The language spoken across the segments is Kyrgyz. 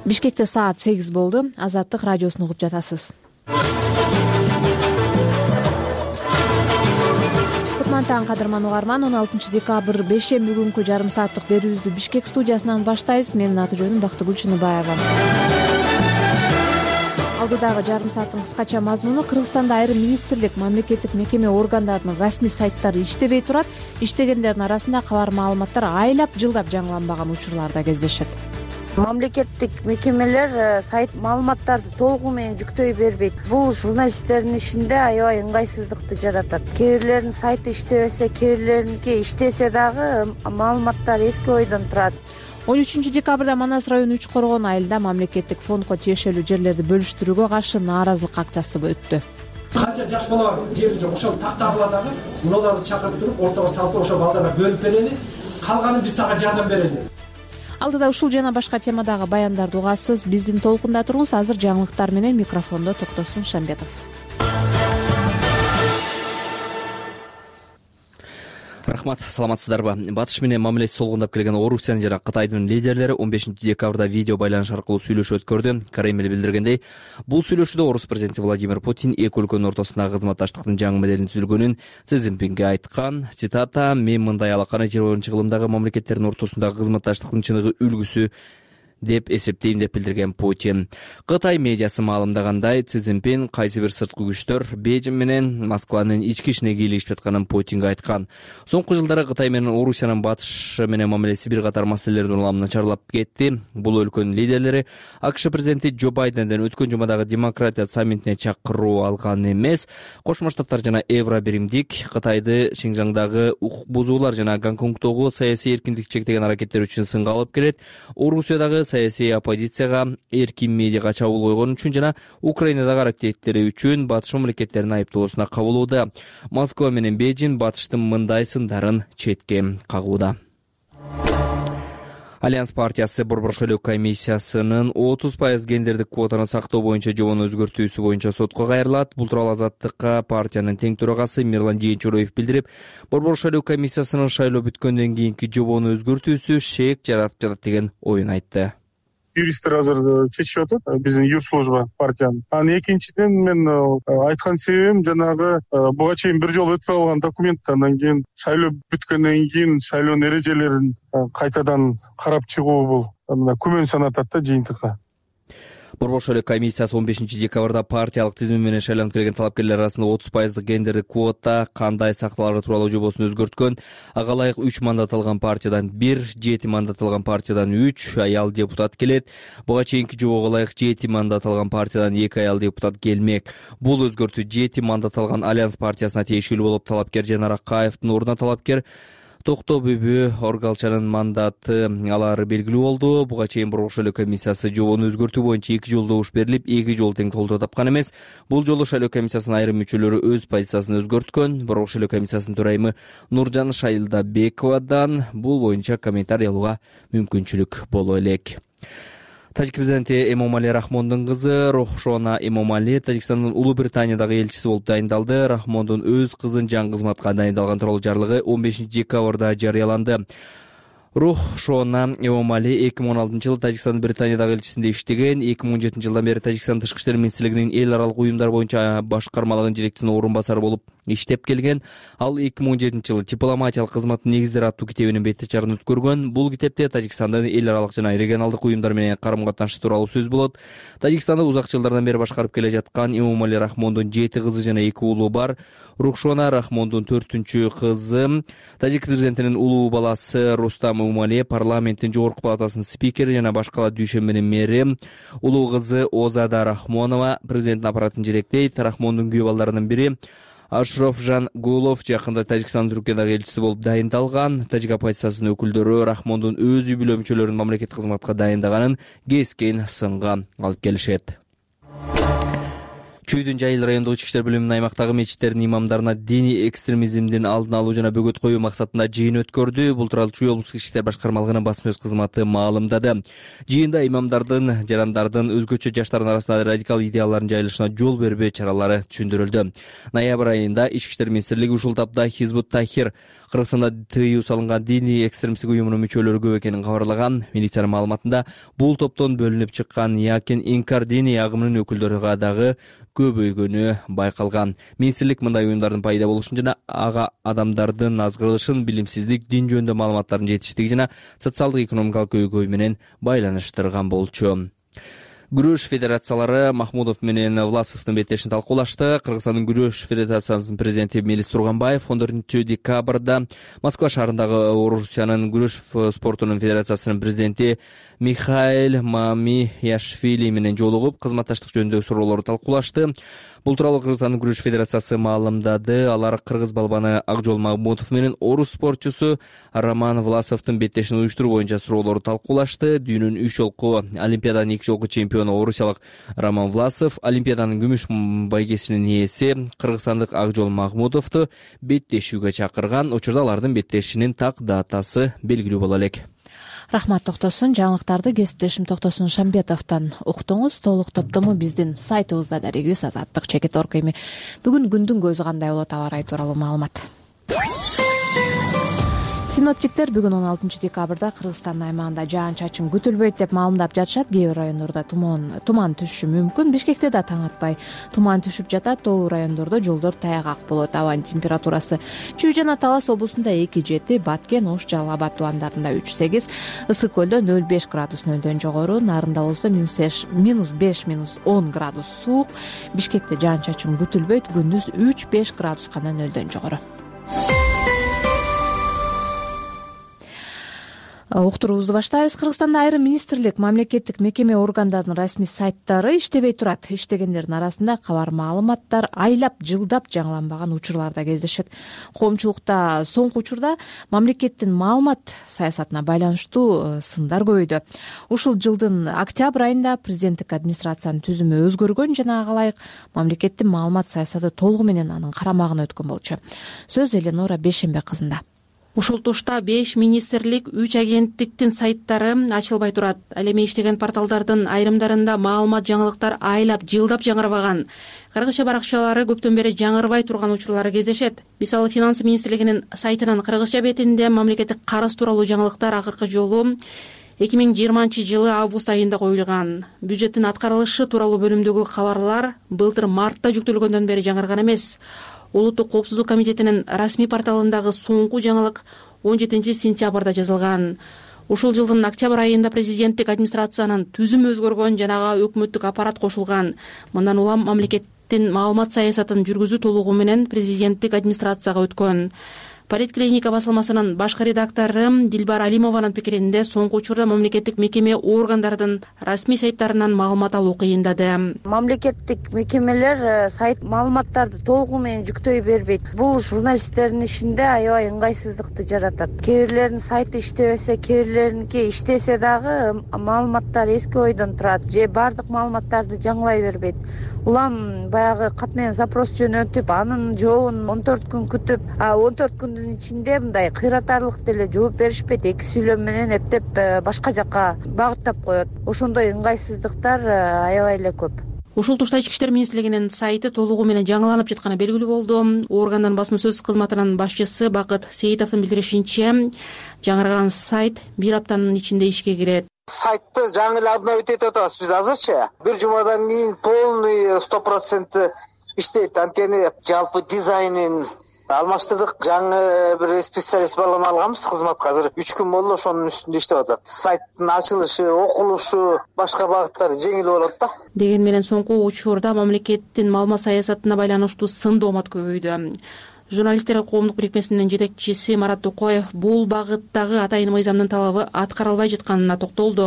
Бишкекте саат 8 болду. Азаттык радиосун угуп жатасыз. Кутман кадырман угарман, 16 декабрь бешемби күнкү жарым сааттык берүүбүздү Бишкек студиясынан баштайбыз. Менин аты жөнүм Бактыгүл Чыныбаева. Алдыдагы жарым сааттын кыскача мазмуну: Кыргызстанда айрым министрлик, мамлекеттик мекеме органдарынын расмий сайттары иштебей турат. Иштегендердин арасында кабар маалыматтар айлап, жылдап жаңыланбаган учурлар да кездешет. Мамлекеттик мекемелер сайт маалыматтарды толугу менен жүктөй бербейт. Бул журналисттердин ишинде аябай ыңгайсыздыкты жаратат. Кээ бирлеринин сайты иштебесе, кээ бирлериники иштесе дагы маалыматтар эски ойдон турат. 13 декабрда Манас району Үч Коргон айылында мамлекеттик фондго тиешелүү жерлерди бөлүштүрүүгө каршы нааразылык акциясы өттү. Канча жаш бала бар, жери жок, ошол тактагыла дагы мунуларды чакырып туруп, ортого салып, ошол балдарга бөлүп берели, калганын биз сага жардам берели. Алдыда ушул жана башка темадагы баяндарды угасыз. Биздин толкунда туруңуз. Азыр жаңылыктар менен микрофондо Токтосун Шамбетов. Рахмат, саламатсыздарбы? Батыш менен мамилеси солгундап келген Орусиянын жана Кытайдын лидерлери 15 декабрда видео байланыш аркылуу сүйлөшүү өткөрдү. Кремль билдиргендей, бул сүйлөшүүдө Орус президенти Владимир Путин эки өлкөнүн ортосундагы кызматташтыктын жаңы моделин түзүлгөнүн Си Цзиньпинге айткан. Цитата: "Мен мындай алаканы 20-жылымдагы мамлекеттердин ортосундагы кызматташтыктын чыныгы үлгүсү деп эсептейм" деп билдирген Путин. Кытай медиасы маалымдагандай, Си Цзиньпин кайсы бир сырткы күчтөр Бейжиң менен Москванын ички ишине кийлигишип жатканын Путинге айткан. Соңку жылдары Кытай менен Орусиянын батыш менен мамилеси бир катар маселелердин уламы начарлап кетти. Бул өлкөнүн лидерлери АКШ президенти Джо Байденден өткөн жумадагы демократия саммитине чакыруу алган эмес. Кошмо Штаттар жана Евробиримдик Кытайды Шинжаңдагы укук бузуулар жана Гонконгдогу саясий эркиндикти чектеген аракеттер үчүн сынга алып келет. Орусиядагы саясий оппозицияга эркин медиага чабуул койгон үчүн жана Украинадагы аракеттери үчүн батыш мамлекеттерин айыптоосуна кабылууда. Москва менен Бейжиң батыштын мындай сындарын четке кагууда. Альянс партиясы Борбор шайлоо комиссиясынын 30% гендердик квотаны сактоо боюнча жобону өзгөртүүсү боюнча сотко кайрылат. Бул тууралуу Азаттыкка партиянын тең төрагасы Мирлан Жээнчуроев билдирип, Борбор шайлоо комиссиясынын шайлоо бүткөндөн кийинки жобону өзгөртүүсү шек жаратып жатат деген оюн айтты. Юристтер азыр чечип атат, биздин юрслужба партиянын. Анан экинчиден мен айткан себебим жанагы буга чейин бир жолу өтпөй калган документ, андан кийин шайлоо бүткөндөн кийин шайлоонун эрежелерин кайтадан карап чыгуу бул күмөн санатат да жыйынтыкка. Борбор шайлоо комиссиясы 15 декабрда партиялык тизим менен шайланып келген талапкерлер арасында 30% гендердик квота кандай сакталары тууралуу жобосун өзгөрткөн. Ага ылайык 3 мандат алган партиядан 1, 7 мандат алган партиядан 3 аял депутат келет. Буга чейинки жобого ылайык 7 мандат алган партиядан 2 аял депутат келмек. Бул өзгөртүү 7 мандат алган Альянс партиясына тиешелүү болуп, талапкер Жанар Акаевдин ордуна талапкер Токто Бүбү Оргалчанын мандаты алары белгилүү болду. Буга чейин Борбор шайлоо комиссиясы жобону өзгөртүү боюнча 2 жолу добуш берилип, 2 жолу тең колдоо тапкан эмес. Бул жолу шайлоо комиссиясынын айрым мүчөлөрү өз позициясын өзгөрткөн. Борбор шайлоо комиссиясынын төрайымы Нуржан Шайылдабековадан бул боюнча комментарий алууга мүмкүнчүлүк боло элек. Тажик президенти Эмомали Рахмондун кызы Рохшона Эмомали Тажикстандын Улуу Британиядагы элчиси болуп дайындалды. Рахмондун өз кызын жаңы кызматка дайындалган тууралуу жарлыгы 15 декабрда жарыяланды. Рохшона Эмомали 2016-жылы Тажикстандын Британиядагы элчисинде иштеген. 2017-жылдан бери Тажикстан Тышкы иштер министрлигинин эл аралык уюмдар боюнча башкармалыгынын жетекчисинин орун басары болуп иштеп келген. Ал 2017-жылы дипломатиялык кызматтын негиздери аттуу китебинин бет чарын өткөргөн. Бул китепте Тажикстандын эл аралык жана регионалдык уюмдар менен карым-катнышы тууралуу сөз болот. Тажикстанды узак жылдардан бери башкарып келе жаткан Эмомали Рахмондун 7 кызы жана 2 уулу бар. Рухшона Рахмондун 4-кызы. Тажик президентинин улуу баласы Рустам Эмомали парламенттин жогорку палатасынын спикери жана башкала дүйшөмбөнүн мэри. Улуу кызы Озада Рахмонова президенттин аппаратын жетектейт. Рахмондун күйөө балдарынын бири Ашрофжан Гулов жакында Тажикстандын Түркиядагы элчиси болуп дайындалган. Тажик оппозициясынын өкүлдөрү Рахмондун өз үй бүлө мүчөлөрүн мамлекеттик кызматка дайындаганын кескен сынга алып келишет. Чүйдүн Жайыл райондук ички иштер бөлүмүнүн аймактагы мечиттердин имамдарына диний экстремизмдин алдын алуу жана бөгөт коюу максатында жыйын өткөрдү. Бул тууралуу Чүй облустук ички иштер башкармалыгынын басма сөз кызматы маалымдады. Жыйында имамдардын, жарандардын өзгөчө жаштардын арасында радикал идеялардын жайылышына жол бербөө чаралары түшүндүрүлдү. Ноябрь айында Ички иштер министрлиги ушул тапта Хизбут Тахир Кыргызстанда тыюу салынган диний экстремисттик уюмунун мүчөлөрү көп экенин кабарлаган. Милициянын маалыматында бул топтон бөлүнүп чыккан Якин Инкар диний агымынын өкүлдөрү дагы көбөйгөнү байкалган. Министрлик мындай уюмдардын пайда болушун жана ага адамдардын азгырылышын, билимсиздик, дин жөнүндө маалыматтардын жетиштиги жана социалдык экономикалык көйгөй менен байланыштырган болчу. Күрөш федерациялары Махмудов менен Власовдун беттешин талкуулашты. Кыргызстандын күрөш федерациясынын президенти Мелис Турганбаев 14 декабрда Москва шаарындагы Орусиянын күрөш спортунун федерациясынын президенти Михаил Мамияшвили менен жолугуп, кызматташтык жөнүндөгү суроолорду талкуулашты. Бул тууралуу Кыргызстандын күрөш федерациясы маалымдады. Алар кыргыз балбаны Акжол Махмутов менен орус спортчусу Роман Власовдун беттешин уюштуруу боюнча суроолорду талкуулашты. Дүйнөнүн 3 жолку Олимпиаданын 2 жолку чемпиону орусиялык Роман Власов Олимпиаданын күмүш байгесинин ээси кыргызстандык Акжол Махмутовду беттешүүгө чакырган. Учурда алардын беттешинин так датасы белгилүү боло элек. Рахмат Токтосун. Жаңылыктарды кесиптешим Токтосун Шамбетовдон уктуңуз. Толук топтому биздин сайтыбызда дарегибиз azadlyk.org. Эми бүгүн күндүн көзү кандай болот, аба ырайы тууралуу маалымат. Синоптиктер бүгүн 16 декабрда Кыргызстандын аймагында жаан-чачын күтүлбөйт деп маалымдап жатышат. Кээ бир райондордо туман түшүшү мүмкүн. Бишкекте да таң атпай туман түшүп жатат. Тоолуу райондордо жолдор таягак болот. Абанын температурасы Чүй жана Талас облусунда 2-7, Баткен, Ош, Жалал Абад тубандарында 3-8, Ысык көлдө 0,5 градус нөлдөн жогору, Нарында болсо -5, -10 градус суук. Бишкекте жаан-чачын күтүлбөйт. Күндүз 3-5 градус гана нөлдөн жогору. Уктуруубузду баштайбыз. Кыргызстанда айрым министрлик, мамлекеттик мекеме органдардын расмий сайттары иштебей турат. Иштегендердин арасында кабар, маалыматтар айлап, жылдап жаңыланбаган учурлар да кездешет. Коомчулукта соңку учурда мамлекеттин маалымат саясатына байланыштуу сындар көбөйдү. Ушул жылдын октябрь айында президенттик администрациянын түзүмү өзгөргөн жана ага ылайык мамлекеттин маалымат саясаты толугу менен анын карамагына өткөн болчу. Сөз Эленора Бейшембек кызында. Ушул тушта 5 министрлик, 3 агенттиктин сайттары ачылбай турат. Ал эми иштеген порталдардын айрымдарында маалымат, жаңылыктар айлап, жылдап жаңырбаган. Кыргызча баракчалары көптөн бери жаңырбай турган учурлары кездешет. Мисалы, Финансы министрлигинин сайтынын кыргызча бетинде мамлекеттик карыз тууралуу жаңылыктар акыркы жолу 2020 август айында коюлган. Бюджеттин аткарылышы тууралуу бөлүмдөгү кабарлар былтыр мартта жүктөлгөндөн бери жаңырган эмес. Улуттук коопсуздук комитетинин расмий порталындагы соңку жаңылык 17 сентябрда жазылган. Ушул жылдын октябрь айында президенттик администрациянын түзүмү өзгөргөн жана ага өкмөттүк аппарат кошулган. Мындан улам мамлекеттин маалымат саясатын жүргүзүү толугу менен президенттик администрацияга өткөн. Политклиника басылмасынын башкы редактору Дилбар Алимованын пикиринде соңку учурда мамлекеттик мекеме органдардын расмий сайттарынан маалымат алуу кыйындады. Мамлекеттик мекемелер сайт маалыматтарды толугу менен жүктөй бербейт. Бул журналисттердин ишинде аябай ыңгайсыздыкты жаратат. Кээ бирлеринин сайты иштебесе, кээ бирлериники иштесе дагы маалыматтар эски ойдон турат же бардык маалыматтарды жаңылай бербейт. Улам баягы кат менен запрос жөнөтүп, анын жообун 14 күн күтүп, 14 күндүн ичинде мындай кыйратарлык деле жооп беришпейт. Эки сүйлөм менен эптеп башка жакка багыттап коет. Ошондой ыңгайсыздыктар аябай эле көп. Ушул тушта Ички иштер министрлигинин сайты толугу менен жаңыланып жатканы белгилүү болду. Органдын басма сөз кызматынын башчысы Бакыт Сейитовдун билдиришинче, жаңырган сайт 1 аптанын ичинде ишке кирет. Сайтты жаңы эле обновить этип атабыз биз азырчы. Бир жумадан кийин полный 100% иштейт. Анткени жалпы дизайнын алмаштырдык. Жаңы бир специалист баланы алганбыз кызматка. Азыр 3 күн болду ошонун үстүндө иштеп атат. Сайттын ачылышы, окулушу, башка багыттар жеңил болот да. Деген менен соңку учурда мамлекеттин маалымат саясатына байланыштуу сын доомат көбөйдү. Журналисттер коомдук бирикмесинин жетекчиси Марат Токоев бул багыттагы атайын мыйзамдын талабы аткарылбай жатканына токтолду.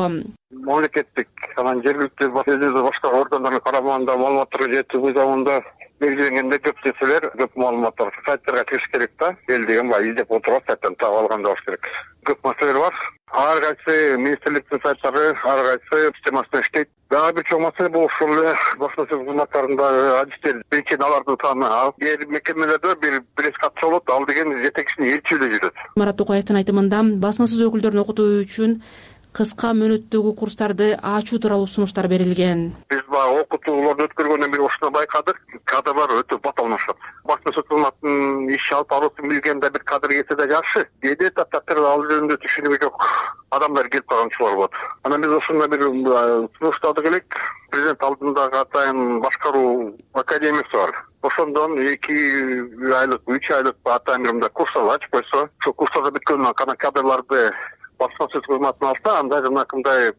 Мамлекеттик анан жергиликтүү башка органдардын карамагында маалыматтарга жетүү мыйзамында белгиленгенде көп нерселер, көп маалыматтар сайттарга кириш керек да. Эл деген баягы издеп отуруп сайттан таап алган болуш керек. Көп маселелер бар. Ар кайсы министрликтин сайттары ар кайсы системасында иштейт. Дагы бир чоң маселе бул ушул басма сөз кызматтарындагы адистер, биринчиден алардын саны аз. Кээ бир мекемелерде бир катча болот, ал деген жетекчинин ээрчүүрүндө жүрөт. Марат Токаевдин айтымында басма сөз өкүлдөрүн окутуу үчүн кыска мөөнөттөгү курстарды ачуу тууралуу сунуштар берилген. Биз баягы окутууларды өткөргөндөн бери ушуну байкадык. Кадрлар өтө баталанышат. Басма сөз кызматынын иш алып баруусын билген да бир кадр келсе да жакшы. Кээде таптакыр ал жөнүндө түшүнүгү жок адамдар келип калганчылар болот. Анан биз ошондой бир сунуштарды элек. Президент алдындагы атайын башкаруу академиясы бар. Ошондон 2 айлык, 3 айлык атайын бир курстар ачып койсо, ошол курстарды бүткөндөн кийин кадрларды басма сөз кызматына алса, анда жанакындай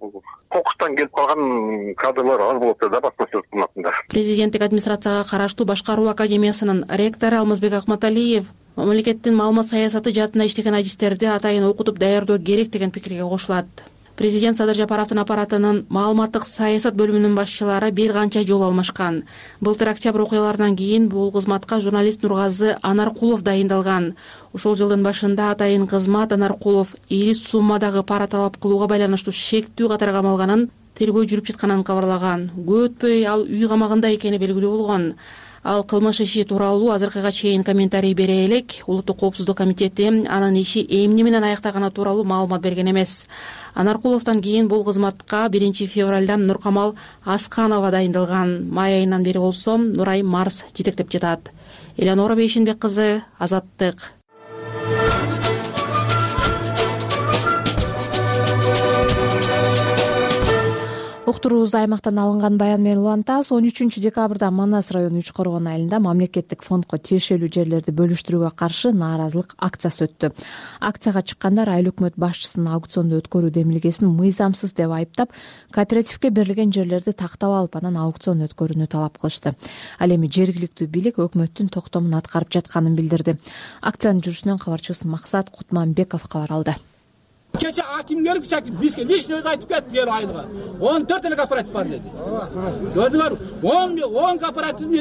кокустан келип калган кадрлар аз болот да басма сөз кызматында. Президенттик администрацияга караштуу Башкаруу академиясынын ректору Алмазбек Акматалиев мамлекеттин маалымат саясаты жаатында иштеген адистерди атайын окутуп даярдоо керек деген пикирге кошулат. Президент Садыр Жапаровдун аппаратынын маалыматтык саясат бөлүмүнүн башчылары бир канча жолу алмашкан. Былтыр октябрь окуяларынан кийин бул кызматка журналист Нургазы Анаркулов дайындалган. Ушул жылдын башында атайын кызмат Анаркулов ири суммадагы пара талап кылууга байланыштуу шектүү катар камалганын, тергөө жүрүп жатканын кабарлаган. Көп өтпөй ал үй камагында экени белгилүү болгон. Ал кылмыш иши тууралуу азыркыга чейин комментарий бере элек. Улуттук коопсуздук комитети анын иши эмне менен аяктаганы тууралуу маалымат берген эмес. Анаркуловдон кийин бул кызматка 1 февралда Нуркамал Асканова дайындалган. Май айынан бери болсо Нурай Марс жетектеп жатат. Элеонора Бейшенбек кызы, Азаттык. Уктуруубузду аймактан алынган баян менен улантабыз. 13 декабрда Манас району Үч Коргон айылында мамлекеттик фондко тиешелүү жерлерди бөлүштүрүүгө каршы нааразылык акциясы өттү. Акцияга чыккандар айыл өкмөт башчысынын аукционду өткөрүү демилгесин мыйзамсыз деп айыптап, кооперативге берилген жерлерди тактап алып, анан аукцион өткөрүүнү талап кылышты. Ал эми жергиликтүү бийлик өкмөттүн токтомун аткарып жатканын билдирди. Акциянын жүрүшүнөн кабарчыбыз Максат Кутманбеков кабар алды. Keçe hakim gelip bizge lişini öz aytıp ketdi gel aylığa. 14 tane kooperatif var dedi. Gördüler 10 kooperatifin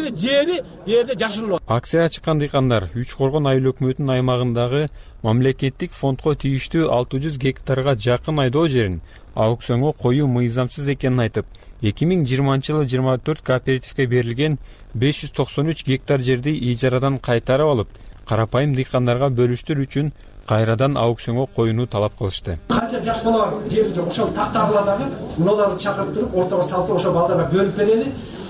yerde jaşırlı. Акцияга чыккан дыйкандар Үч Коргон айыл өкмөтүнүн аймагындагы мамлекеттик фондко тийиштүү 600 гектарга жакын айдоо жерин аукционго коюу мыйзамсыз экенин айтып, 2020-жылы 24 кооперативге берилген 593 гектар жерди ижарадан кайтарып алып, карапайым дыйкандарга бөлүштүрүү үчүн кайрадан аукционго коюуну талап кылышты. Канча жаш бала бар, жери жок, ошол тактагыла дагы мунуларды чакыртып, ортого салып ошо балдарга бөлүп берели,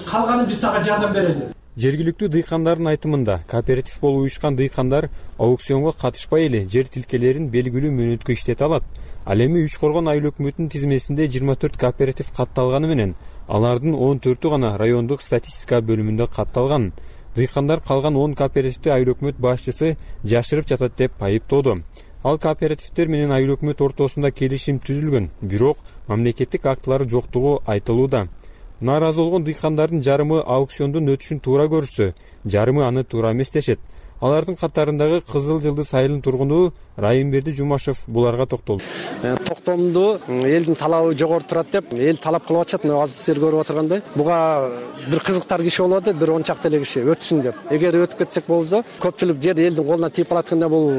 калганын биз сага жардам берели. Жергиликтүү дыйкандардын айтымында, кооператив болуп уюшкан дыйкандар аукционго катышпай эле жер тилкелерин белгилүү мөөнөткө иштете алат. Ал эми Үч Коргон айыл өкмөтүнүн тизмесинде 24 кооператив катталганы менен, алардын 14-ü гана райондук статистика бөлүмүндө катталган. Дыйкандар калган 10 кооперативди айыл өкмөт башчысы жашырып жатат деп айыптоодо. Ал кооперативдер менен айыл өкмөт ортосунда келишим түзүлгөн, бирок мамлекеттик актылары жоктугу айтылууда. Нааразы болгон дыйкандардын жарымы аукциондун өтүшүн туура көрсө, жарымы аны туура эмес дешет. Алардын катарындагы Кызыл Жылдыз айылынын тургуну Райымберди Жумашев буларга токтолду. Токтомду элдин талабы жогору турат деп, эл талап кылып атышат. Азыр сиздер көрүп отургандай. Буга бир кызыктар киши болуп атат, бир 10 чакты эле киши өтсүн деп. Эгер өтүп кетсек болсо, көпчүлүк жер элдин колуна тийип калатканда бул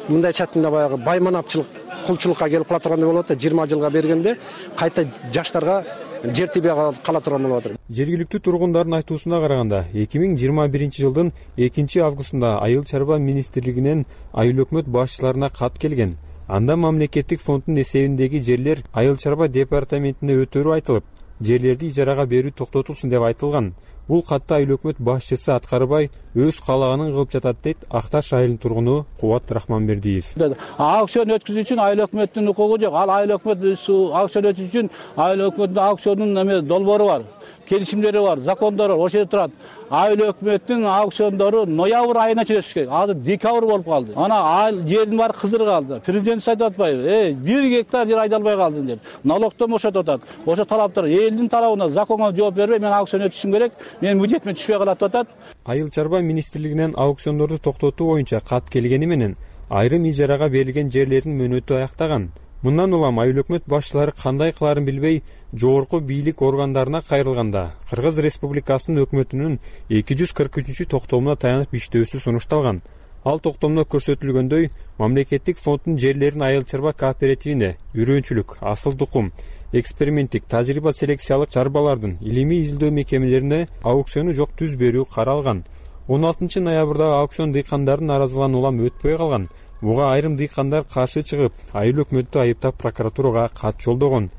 мындай чатында баягы байманапчылык, кулчулукка келип кала тургандай болуп атат. 20 жылга бергенде кайта жаштарга жер тийбей кала турган болуп атат. Жергиликтүү тургундардын айтуусуна караганда, 2021-жылдын 2-августунда Айыл чарба министрлигинен айыл өкмөт башчыларына кат келген. Анда мамлекеттик фонддун эсебиндеги жерлер Айыл чарба департаментине өтөрү айтылып, жерлерди ижарага берүү токтотулсун деп айтылган. Бул катта айыл өкмөт башчысы аткарбай өз каалаганын кылып жатат дейт Акташ айылынын тургуну Кубат Рахманбердиев. Аукцион өткүзүү үчүн айыл өкмөттүн укугу жок. Ал айыл өкмөт аукцион өткүзүү үчүн айыл өкмөттүн аукционунун долбоору бар, келишимдери бар, закондору бар, ошол жерде турат. Айыл өкмөттүн аукциондору ноябрь айына чейин өтүш керек. Азыр декабрь болуп калды. Ана айыл жердин баары кызыр калды. Президент айтып атпайбы? 1 гектар жер айдалбай калды деп. Налогтон бошотуп атат. Ошо талаптар элдин талабына, законго жооп бербей, мен аукцион өтүшүм керек, менин бюджетиме түшпөй калат деп атат. Айыл чарба министрлигинен аукциондорду токтотуу боюнча кат келгени менен айрым ижарага берилген жерлердин мөөнөтү аяктаган. Мындан улам айыл өкмөт башчылары кандай кылаарын билбей, жогорку бийлик органдарына кайрылганда Кыргыз Республикасынын өкмөтүнүн 243 токтомуна таянып иштөөсү сунушталган. Ал токтомдо көрсөтүлгөндөй, мамлекеттик фонддун жерлерин айыл чарба кооперативине үрөөнчүлүк, асыл тукум, эксперименттик, тажрыйба селекциялык чарбалардын илимий изилдөө мекемелерине аукциону жок түз берүү каралган. 16 ноябрда аукцион дыйкандардын наразылыгынан улам өтпөй калган. Буга айрым дыйкандар каршы чыгып, айыл өкмөттү айыптап прокуратурага кат жолдогон.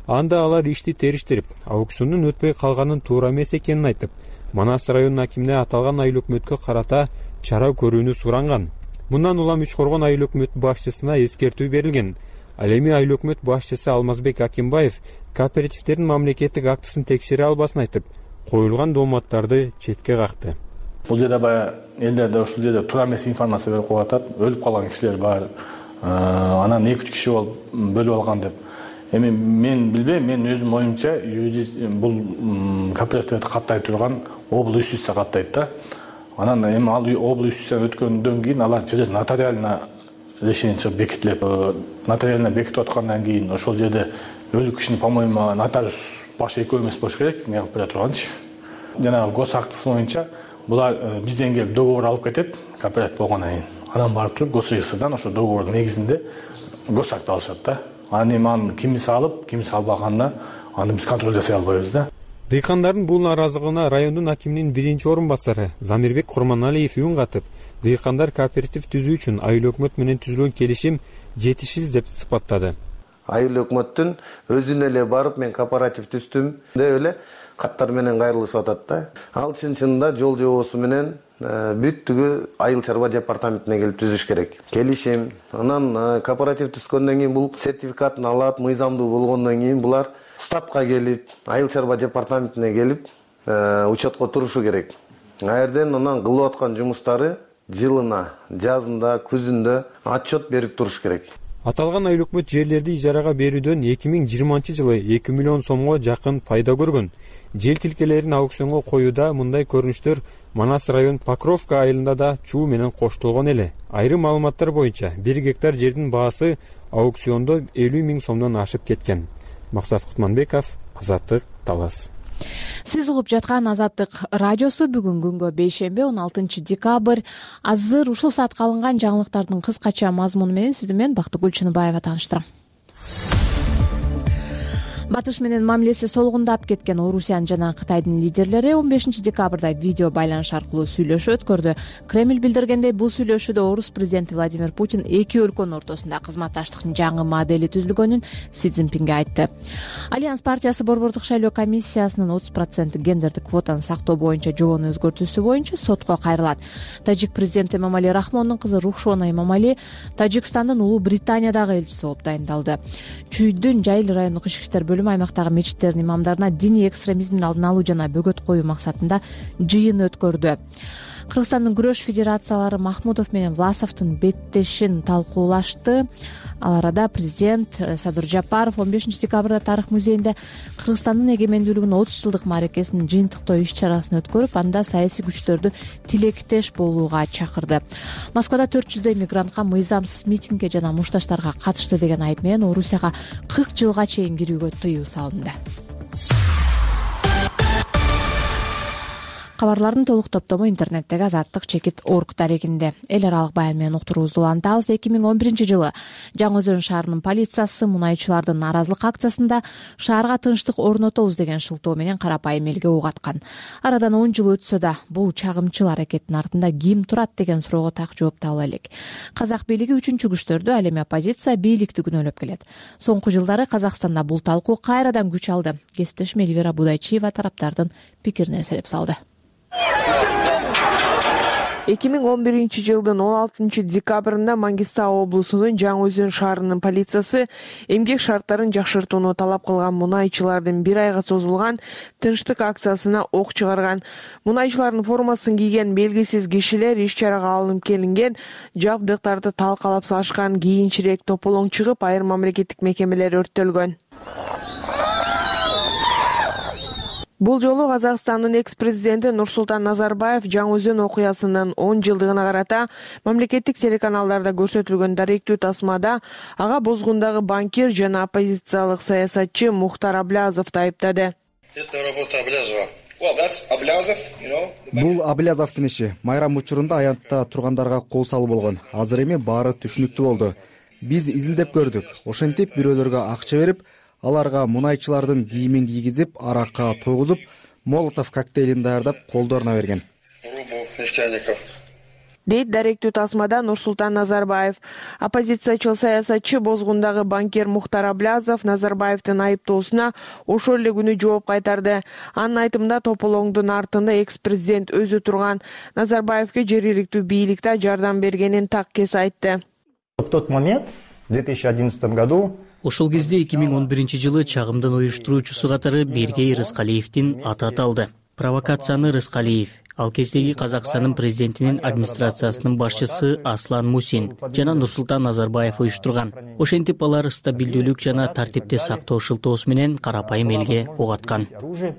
Анда алар ишти териштирип, аукциондун өтпөй калганын туура эмес экенин айтып, Манас районунун акимине аталган айыл өкмөткө карата чара көрүүнү суранган. Мындан улам Үч Коргон айыл өкмөт башчысына эскертүү берилген. Ал эми айыл өкмөт башчысы Алмазбек Акимбаев кооперативдердин мамлекеттик актысын текшере албасын айтып, коюлган дооматтарды четке какты. Бул жерде баягы элдерде ушул жерде туура эмес информация берип коюп атат. Өлүп калган кишилер бар. Анан 2-3 киши болуп бөлүп алган деп. Эми мен билбейм, мен өзүм оюмча бул кооперативди каттай турган обл. Үстүсү каттайт да. Анан эми ал обл. Үстүсү өткөндөн кийин алар через нотариально решение чыгып бекитилет. Нотариально бекитип аткандан кийин ошол жерде өлүк кишини, по-моему, нотариус баш экөө эмес болуш керек, мен бере турганчы. Жанагы гос актысы боюнча булар бизден келип договор алып кетет, кооператив болгондон кийин. Анан барып туруп гос реестрдан ошо договордун негизинде гос акт алышат да. Анан эми аны кимиси алып, кимиси албаганына аны биз контроль жасай албайбыз да. Дыйкандардын бул наразылыгына райондун акиминин 1-орун-басары Замирбек Курманалиев үн катып, дыйкандар кооператив түзүү үчүн айыл өкмөт менен түзүлгөн келишим жетишсиз деп сыпаттады. Айыл өкмөттүн өзүнө эле барып мен кооператив түздүм деп эле каттар менен кайрылышып атат да. Ал чын-чынында жол жобосу менен бүттүгү айыл чарба департаментине келип түзүш керек. Келишим, анан кооператив түзгөндөн кийин бул сертификатын алат, мыйзамдуу болгондон кийин булар статка келип, айыл чарба департаментине келип учетко турушу керек. Аерден анан кылып аткан жумуштары жылына, жазында, күзүндө отчет берип туруш керек. Аталган айыл өкмөт жерлерди ижарага берүүдөн 2020-жылы 2 миллион сомго жакын пайда көргөн. Жер тилкелерин аукционго коюуда мындай көрүнүштөр Манас район Покровка айылында да чуу менен коштолгон эле. Айрым маалыматтар боюнча 1 гектар жердин баасы аукциондо 50 000 сомдон ашып кеткен. Максат Кутманбеков, Азаттык, Талас. Сиз угуп жаткан Азаттык радиосу бүгүн күнгө бейшемби 16 декабрь. Азыр ушул саатка алынган жаңылыктардын кыскача мазмуну менен сизди мен Бактыгүл Чыныбаева тааныштырам. Батыш менен мамилеси солгундап кеткен Орусиянын жана Кытайдын лидерлери 15 декабрда видео байланыш аркылуу сүйлөшүү өткөрдү. Кремль билдиргендей, бул сүйлөшүүдө орус президенти Владимир Путин эки өлкөнүн ортосунда кызматташтыктын жаңы модели түзүлгөнүн Си Цзиньпинге айтты. Альянс партиясы Борбордук шайлоо комиссиясынын 30% гендердик квотаны сактоо боюнча жобону өзгөртүүсү боюнча сотко кайрылат. Тажик президенти Эмомали Рахмондун кызы Рухшона Эмомали Тажикстандын Улуу Британиядагы элчиси болуп дайындалды. Чүйдүн Жайыл райондук ички иштер бөлүмү аймактагы мечиттердин имамдарына диний экстремизмдин алдын алуу жана бөгөт коюу максатында жыйын өткөрдү. Кыргызстандын күрөш федерациялары Махмудов менен Власовдун беттешин талкуулашты. Ал арада президент Садыр Жапаров 15 декабрда Тарых музейинде Кыргызстандын эгемендүүлүгүнүн 30 жылдык мааракесинин жыйынтыктоо иш-чарасын өткөрүп, анда саясий күчтөрдү тилектеш болууга чакырды. Москвада 400дөй мигрантка мыйзамсыз митингге жана мушташтарга катышты деген айып менен Орусияга 40 жылга чейин кирүүгө тыюу салынды. Кабарлардын толук топтому интернеттеги azattik.org дарегинде. Эл аралык баян менен уктуруубузду улантабыз. 2011-жылы Жаңы Өзөн шаарынын полициясы мунайчылардын нааразылык акциясында шаарга тынчтык орнотобуз деген шылтоо менен карапайым элге ок аткан. Арадан 10 жыл өтсө да, бул чагымчыл аракеттин артында ким турат деген суроого так жооп таба элек. Казак бийлиги үчүнчү күчтөрдү, ал эми оппозиция бийликти күнөөлөп келет. Соңку жылдары Казакстанда бул талкуу кайрадан күч алды. Кесиптешим Эльвира Будайчиева тараптардын пикирине эселеп салды. 2011-жылдын 16 декабрында Мангистау облусунун Жаңы Өзөн шаарынын полициясы эмгек шарттарын жакшыртууну талап кылган мунайчылардын 1 айга созулган тынчтык акциясына ок чыгарган. Мунайчылардын формасын кийген белгисиз кишилер иш-чарага алынып келинген жабдыктарды талкалап салышкан. Кийинчерээк тополоң чыгып, айрым мамлекеттик мекемелер өрттөлгөн. Бул жолу Казакстандын экс-президенти Нурсултан Назарбаев Жаңы-Өзөн окуясынын 10 жылдыгына карата мамлекеттик телеканалдарда көрсөтүлгөн даректүү тасмада ага бозгундагы банкир жана оппозициялык саясатчы Мухтар Аблязовду айыптады. Бул Аблязовдун иши. Майрам учурунда аянтта тургандарга кол салуу болгон. Азыр эми баары түшүнүктүү болду. Биз изилдеп көрдүк. Ошентип бирөөлөргө акча берип, аларга мунайчылардын кийимин кийгизип, аракка тойгузуп, молотов коктейлин даярдап колдоруна берген. Дейт даректүү тасмада Нурсултан Назарбаев. Оппозициячыл саясатчы бозгундагы банкир Мухтар Аблязов Назарбаевдин айыптоосуна ошол эле күнү жооп кайтарды. Анын айтымында тополоңдун артында экс-президент өзү турган. Назарбаевге жергиликтүү бийликте жардам бергенин так кес айтты. В тот момент, в 2011 году, ошол кезде 2011-жылы чагымдын уюштуруучусу катары Бергей Рыскалиевдин аты аталды. Провокацияны Рыскалиев, ал кездеги Казакстандын президентинин администрациясынын башчысы Аслан Мусин жана Нурсултан Назарбаев уюштурган. Ошентип алар стабилдүүлүк жана тартипти сактоо шылтоосу менен карапайым элге ок аткан.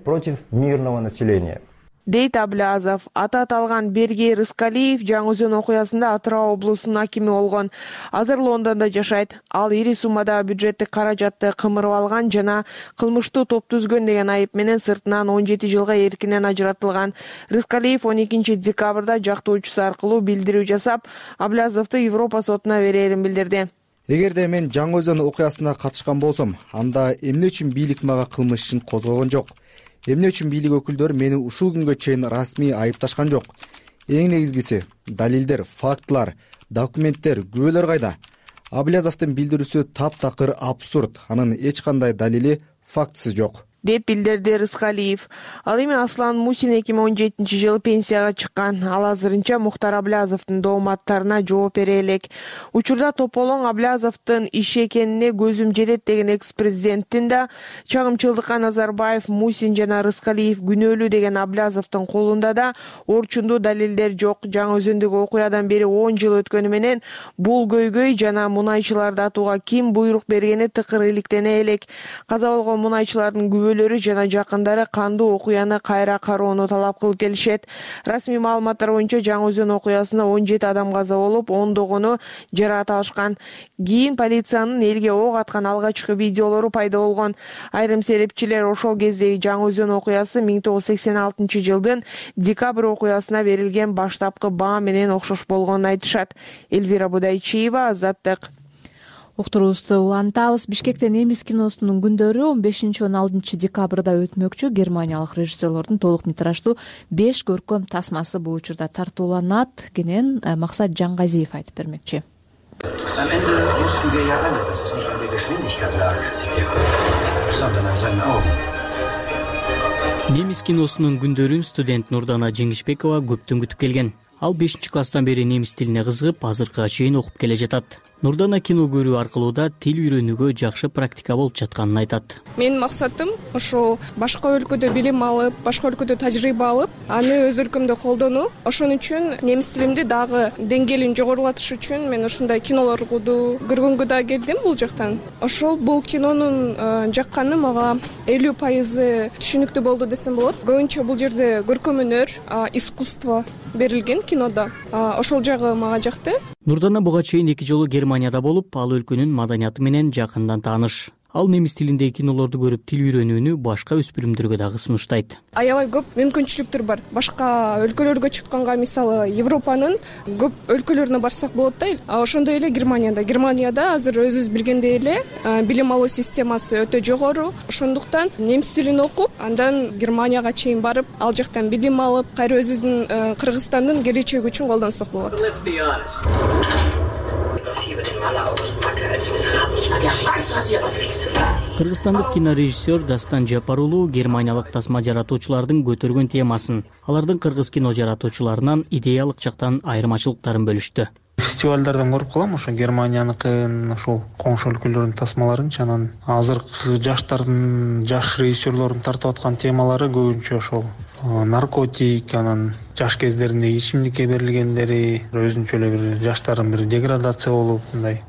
Против мирного населения. Дейт Аблязов. Аты аталган Бергей Рыскалиев Жаңы-Өзөн окуясында Атырау облусунун акими болгон. Азыр Лондондо жашайт. Ал ири суммада бюджеттик каражатты кымырып алган жана кылмыштуу топ түзгөн деген айып менен сыртынан 17 жылга эркинен ажыратылган. Рыскалиев 12 декабрда жактоочусу аркылуу билдирүү жасап, Аблязовду Европа сотуна берерин билдирди. Эгерде мен Жаңы-Өзөн окуясына катышкан болсом, анда эмне үчүн бийлик мага кылмыш ишин козгогон жок? Эмне үчүн бийлик өкүлдөрү мени ушул күнгө чейин расмий айыпташкан жок? Эң негизгиси далилдер, фактылар, документтер, күбөлөр кайда? Аблязовдун билдирүүсү таптакыр абсурд. Анын эч кандай далили, фактысы жок, деп билдирди Рыскалиев. Ал эми Аслан Мусин 2017-жылы пенсияга чыккан. Ал азырынча Мухтар Аблязовдун дооматтарына жооп бере элек. Учурда тополоң Аблязовдун иши экенине көзүм жетет деген экс-президенттин да чагымчылдыкка Назарбаев, Мусин жана Рыскалиев күнөөлүү деген Аблязовдун колунда да орчундуу далилдер жок. Жаңы-Өзөндөгү окуядан бери 10 жыл өткөнү менен бул көйгөй жана мунайчыларды атууга ким буйрук бергени тыкыр иликтене элек. Каза болгон мунайчылардын күбөлөрү жана жакындары кандуу окуяны кайра кароону талап кылып келишет. Расмий маалыматтар боюнча Жаңы-Өзөн окуясында 17 адам каза болуп, ондогону жаракат алышкан. Кийин полициянын элге ок аткан алгачкы видеолору пайда болгон. Айрым серепчилер ошол кездеги Жаңы-Өзөн окуясы 1986-жылдын декабрь окуясына берилген баштапкы баа менен окшош болгонун айтышат. Элвира Будайчиева, Азаттык. Уктуруубузду улантабыз. Бишкекте немис киносунун күндөрү 15-16 декабрда өтмөкчү. Германиялык режиссерлордун толук метраждуу 5 көркөм тасмасы бул учурда тартууланат. Кенен Максат Жаңгазиев айтып бермекчи. Немис киносунун күндөрүн студент Нурдана Жеңишбекова көптөн күтүп келген. Ал 5-класстан бери немис тилине кызыгып, азыркыга чейин окуп келе жатат. Нурдана кино көрүү аркылуу да тил үйрөнүүгө жакшы практика болуп жатканын айтат. Менин максатым ошол башка өлкөдө билим алып, башка өлкөдө тажрыйба алып, аны өз өлкөмдө колдонуу. Ошон үчүн немис тилимди дагы деңгээлин жогорулатыш үчүн мен ушундай кинолорду көргөнгө да келдим бул жактан. Ошол бул кинонун жакканы мага 50% түшүнүктүү болду десем болот. Көбүнчө бул жерде көркөм өнөр, искусство берилген кинодо. Ошол жагы мага жакты. Нурдана буга чейин 2 жолу Германияда болуп, ал өлкөнүн маданияты менен жакындан тааныш. Ал немис тилиндеги кинолорду көрүп тил үйрөнүүнү башка өспүрүмдөргө дагы сунуштайт. Аябай көп мүмкүнчүлүктөр бар. Башка өлкөлөргө чыкканга, мисалы Европанын көп өлкөлөрүнө барсак болот да. Ошондой эле Германияда азыр өзүбүз билгендей эле билим алуу системасы өтө жогору. Ошондуктан немис тилин окуп, андан Германияга чейин барып, ал жактан билим алып, кайра өзүбүздүн Кыргызстандын келечеги үчүн колдонсок болот. Кыргызстандык кинорежиссер Дастан Жапар уулу германиялык тасма жаратуучулардын көтөргөн темасын, алардын кыргыз кино жаратуучуларынан идеялык жактан айырмачылыктарын бөлүштү. Фестивалдардан көрүп калам ошо Германияныкын, ошол коңшу өлкөлөрдүн тасмаларын, анан азыркы жаш режиссерлордун тартып аткан темалары көбүнчө ошол наркотик, анан жаш кездеринде ичимдикке берилгендери, өзүнчө эле бир жаштардын бир деградация болуп,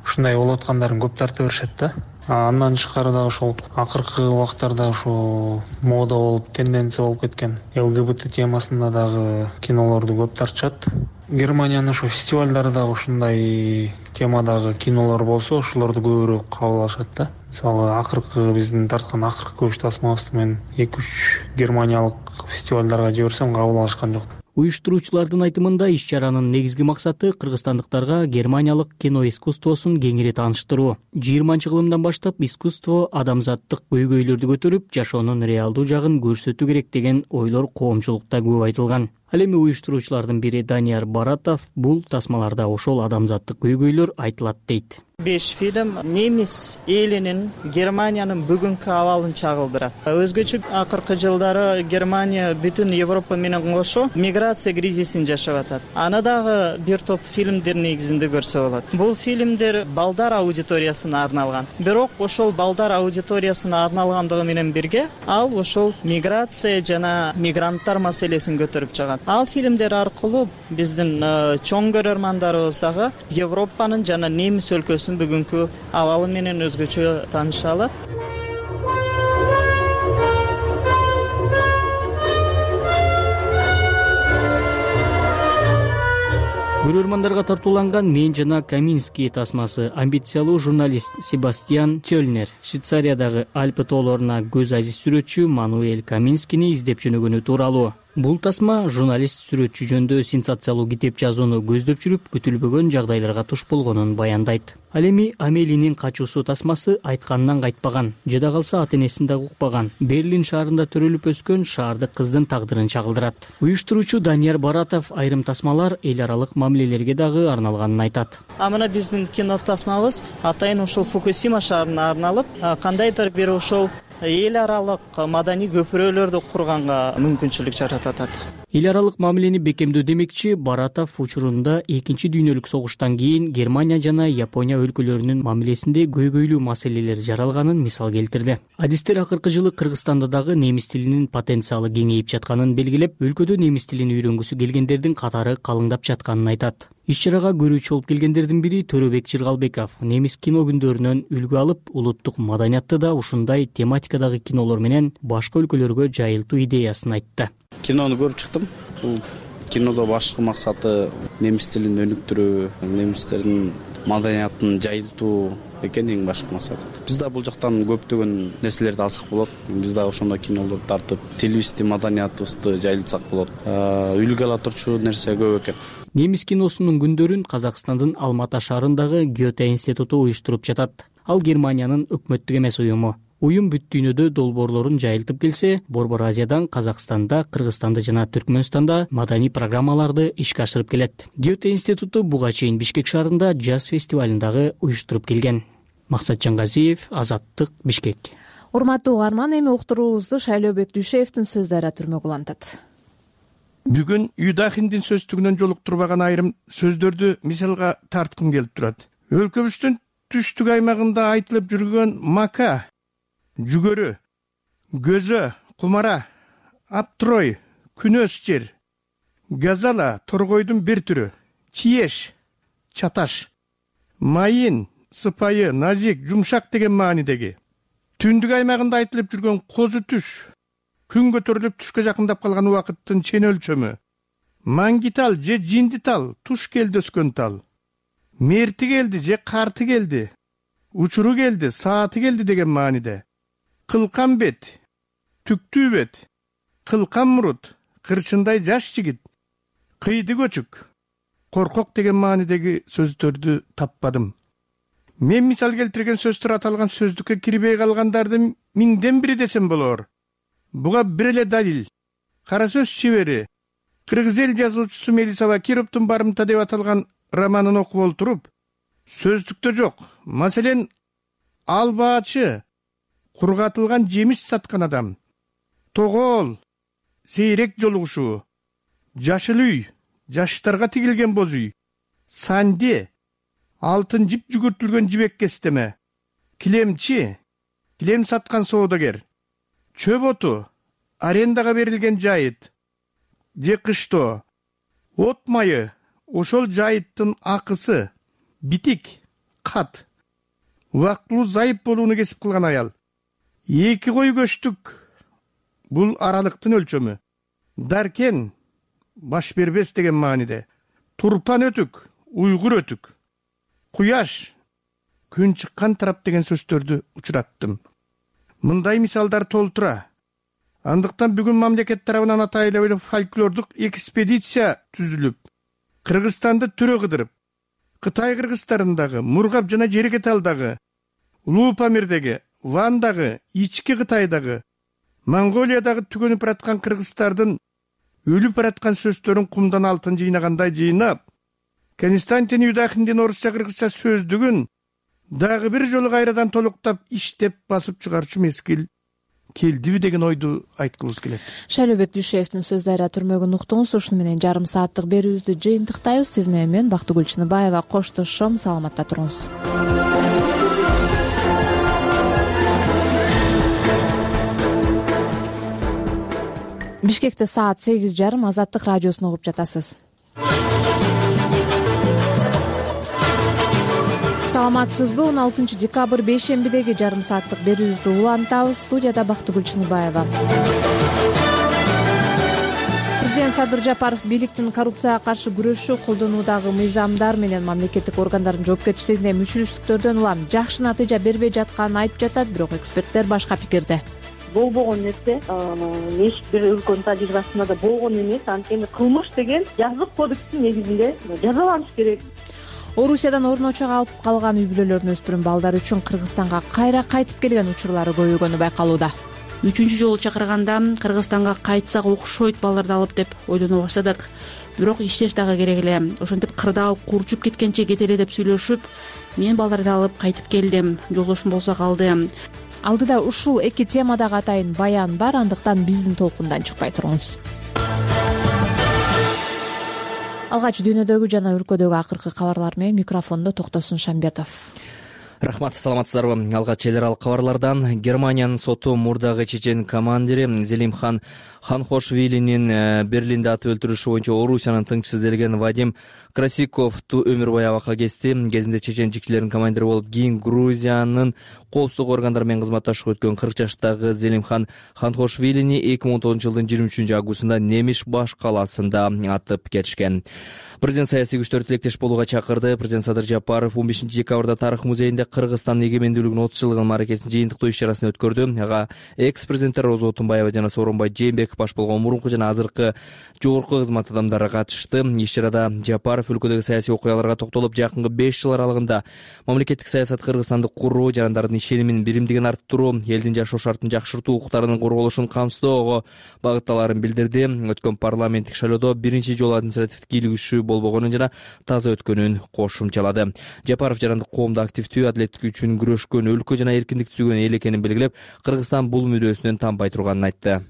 ушундай болуп аткандарын көп тарта беришет да. Андан тышкары дагы ошол акыркы убактарда ошо мода болуп, тенденция болуп кеткен ЛГБТ темасында дагы кинолорду көп тартышат. Германиянын ошо фестивалдары дагы ушундай темадагы кинолор болсо, ошолорду көбүрөөк кабыл алышат да. Мисалы, акыркы биздин тарткан акыркы көч тасмабызды мен 2-3 германиялык фестивалдарга жиберсем кабыл алышкан жок. Уюштуруучулардын айтымында иш-чаранын негизги максаты кыргызстандыктарга германиялык кино искусствосун кеңири тааныштыруу. 20-кылымдан баштап искусство адамзаттык көйгөйлөрдү көтөрүп, жашоонун реалдуу жагын көрсөтүү керек деген ойлор коомчулукта көп айтылган. Ал эми уюштуруучулардын бири Данияр Баратов бул тасмаларда ошол адамзаттык көйгөйлөр айтылат дейт. 5 фильм немис элинин, Германиянын бүгүнкү абалын чагылдырат. Өзгөчө акыркы жылдары Германия бүтүн Европа менен кошо миграция кризисин жашап атат. Аны дагы бир топ фильмдер негизинде көрсө болот. Бул фильмдер балдар аудиториясына арналган. Бирок ошол балдар аудиториясына арналгандыгы менен бирге, ал ошол миграция жана мигранттар маселесин көтөрүп чыгат. Ал фильмдер аркылуу биздин чоң көрөрмандарыбыз дагы Европанын жана немис өлкөсүнүн бүгүнкү абалы менен өзгөчө тааныша алат. Көрөрмандарга тартууланган «Мен жана Каминский» тасмасы амбициялуу журналист Себастьян Тёльнер Швейцариядагы Альпы тоолоруна көз азиз сүрөтчү Мануэль Каминскийни издеп жөнөгөнү тууралуу. Бул тасма журналист сүрөтчү жөнүндө сенсациялуу китеп жазууну көздөп жүрүп, күтүлбөгөн жагдайларга туш болгонун баяндайт. Ал эми Амелинин качуусу тасмасы айтканынан кайтпаган, жада калса ата-энесин дагы укпаган, Берлин шаарында төрөлүп өскөн шаардык кыздын тагдырын чагылдырат. Уюштуруучу Данияр Баратов айрым тасмалар эл аралык мамилелерге дагы арналганын айтат. Мына биздин кино тасмабыз атайын ушул Фукусима шаарына арналып, кандайдыр бир ошол эл аралык маданий көпүрөлөрдү курганга мүмкүнчүлүк жаратат. Эл аралык мамилени бекемдөө демекчи Баратов учурунда 2 дүйнөлүк согуштан кийин Германия жана Япония өлкөлөрүнүн мамилесинде көйгөйлүү маселелер жаралганын мисал келтирди. Адистер акыркы жылы Кыргызстанда дагы немис тилинин потенциалы кеңейип жатканын белгилеп, өлкөдө немис тилин үйрөнгүсү келгендердин катары калыңдап жатканын айтат. Иш-чарага көрүүчү болуп келгендердин бири Төрөбек Жыргалбеков немис кино күндөрүнөн үлгү алып, улуттук маданиятты да ушундай тематикадагы кинолор менен башка өлкөлөргө жайылтуу идеясын айтты. Кинону көрүп чыктым. Бул кинодо башкы максаты немис тилин өнүктүрүү, немистердин маданиятын жайылтуу экен эң башкы максат. Биз да бул жактан көптөгөн нерселерди алсак болот. Биз да ошондой кинолорду тартып, тилибизди, маданиятыбызды жайылтсак болот. Үлгү ала турчу нерсе көп экен. Немис киносунун күндөрүн Казакстандын Алмата шаарындагы Гёте институту уюштуруп жатат. Ал Германиянын өкмөттүк эмес уюму. Уюм бүт дүйнөдө долбоорлорун жайылтып келсе, Борбор Азиядан Казакстанда, Кыргызстанда жана Түркмөнстанда маданий программаларды ишке ашырып келет. Гёте институту буга чейин Бишкек шаарында джаз фестивалын дагы уюштуруп келген. Максат Жангазиев, Азаттык, Бишкек. Урматтуу угарман, эми уктуруубузду Шайлообек Дүйшеевдин сөздөрү түрмөк улантат. Бүгүн Юдахиндин сөздүгүнөн жолуктурбаган айрым сөздөрдү мисалга тарткым келип турат. Өлкөбүздүн түштүк аймагында айтылып жүргөн мака, жүгөрү, көзө, кумара, аптрой, күнөс жер, газала, торгойдун бир түрү, чиеш, чаташ, майын, сыпайы, назик, жумшак деген маанидеги. Түндүк аймагында айтылып жүргөн козу түш, күн көтөрүлүп түшкө жакындап калган убакыттын чен өлчөмү, маңгитал же жиндитал, туш келди өскөн тал, мерти келди же карты келди, учуру келди, сааты келди деген мааниде. Кылкан бет, түктүү бет, кылкан мурут, кырчындай жаш жигит, кыйды көчүк, коркок деген маанидеги сөздөрдү таппадым. Мен мисал келтирген сөздөр аталган сөздүккө кирбей калгандардын миңден бири десем болор. Буга бир эле далил. Кара сөз чебери, кыргыз эл жазуучусу Мелисова Кировдун барымта деп аталган романын окуп олтуруп, сөздүктө жок. Маселен, албаачы, кургатылган жемиш саткан адам, тогоол, сейрек жолугушуу, жашыл үй, жаштарга тигилген боз үй, санде, алтын жип жүгүртүлгөн жибек кестеме, килемчи, килем саткан соодагер, чөп оту, арендага берилген жайыт, же кыштоо от майы, ошол жайыттын акысы, битик, кат убактылуу зайып болууну кесип кылган аял. 2 кой көчтүк бул аралыктын өлчөмү. Даркен баш бербес деген мааниде. Турпан өтүк, уйгур өтүк. Куяш, күн чыккан тарап деген сөздөрдү учураттым. Мындай мисалдар толтура. Андыктан бүгүн мамлекет тарабынан атайлуу фольклордук экспедиция түзүлүп, Кыргызстанды түрө кыдырып, Кытай кыргыздарындагы, Мургап жана Жерекеталдагы, Улуу Памирдеги, Вандагы, ички Кытайдагы, Монголиядагы түгөнүп бараткан кыргыздардын өлүп бараткан сөздөрүн кумдан алтын жыйнагандай жыйнап, Константин Юдахиндин орусча кыргызча сөздүгүн дагы бир жолу кайрадан толуктап иштеп басып чыгарчу мезгил келдиби деген ойду айткыбыз келет. Шайлообек Дүйшеевдин сөздөрү түрмөгүн уктуңуз. Ушуну менен жарым сааттык берүүбүздү жыйынтыктайбыз. Сиз менен мен Бактыгүл Чыныбаева коштошом. Саламатта туруңуз. Бишкекте саат 8:30. Азаттык радиосун угуп жатасыз. Саламатсызбы? 16 декабрь бейшембидеги жарым сааттык берүүбүздү улантабыз. Студияда Бактыгүл Чыныбаева. Президент Садыр Жапаров бийликтин коррупцияга каршы күрөшүү колдонуудагы мыйзамдар менен мамлекеттик органдардын жоопкерчилигине мүчүлүштүктөрдөн улам жакшы натыйжа бербей жатканын айтып жатат, бирок эксперттер башка пикирде. Болбогон нерсе эч бир өлкөнүн тажрыйбасында да болгон эмес. Анткени кылмыш деген жазык кодекстин негизинде жазаланыш керек. Орусиядан орночого алып калган үй бүлөлөрдүн өспүрүм балдары үчүн Кыргызстанга кайра кайтып келген учурлары көбөйгөнү байкалууда. 3 жолу чакырганда Кыргызстанга кайтсак окшойт балдарды алып деп ойлоно баштадык. Бирок иштеш дагы керек эле. Ошентип кырдаал курчуп кеткенче кете эле деп сүйлөшүп, мен балдарды алып кайтып келдим. Жолдошум болсо калды. Алдыда ушул эки темадагы атайын баян бар, андыктан биздин толкундан чыкпай туруңуз. Алгач дүйнөдөгү жана өлкөдөгү акыркы кабарлар менен микрофондо Токтосун Шамбетов. Рахмат, саламатсыздарбы? Алгач эл аралык кабарлардан Германиянын соту мурдагы чечен командири Зелимхан Ханхошвилинин Берлинде атып өлтүрүшү боюнча Орусиянын тыңчысы делген Вадим Красиковду өмүр бою абакка кести. Кезинде чеченчикчилердин командири болуп, кийин Грузиянын коопсуздук органдары менен кызматташып өткөн 40 жаштагы Зелимхан Ханхошвилини 2019 жылдын 23 августунда Немиш баш калаасында атып кетишкен. Президент саясий күчтөр тилектеш болууга чакырды. Президент Садыр Жапаров 15 декабрда Тарых музейинде Кыргызстандын эгемендүүлүгүнүн 30 жылдыгын мааракесинин жыйынтыктоо иш-чарасын өткөрдү. Ага экс-президенттер Роза Отунбаева жана Сооронбай Жээнбеков баш болгон мурунку жана азыркы жогорку кызмат адамдары катышты. Иш-чарада Жапаров өлкөдөгү саясий окуяларга токтолуп, жакынкы 5 жыл аралыгында мамлекеттик саясат Кыргызстанды куруу, жарандардын ишенимин, биримдигин арттыруу, элдин жашоо шартын жакшыртуу, укуктарынын корголушун камсыздоого багытталаарын билдирди. Өткөн парламенттик шайлоодо биринчи жолу административдик кийлигишүү болбогонун жана таза өткөнүн кошумчалады. Жапаров жарандык коомдо активдүү, адилеттик үчүн күрөшкөн, өлкө жана эркиндикти сүйгөн эл экенин белгилеп, Кыргызстан бул мүдөөсүнөн танбай турганын айтты.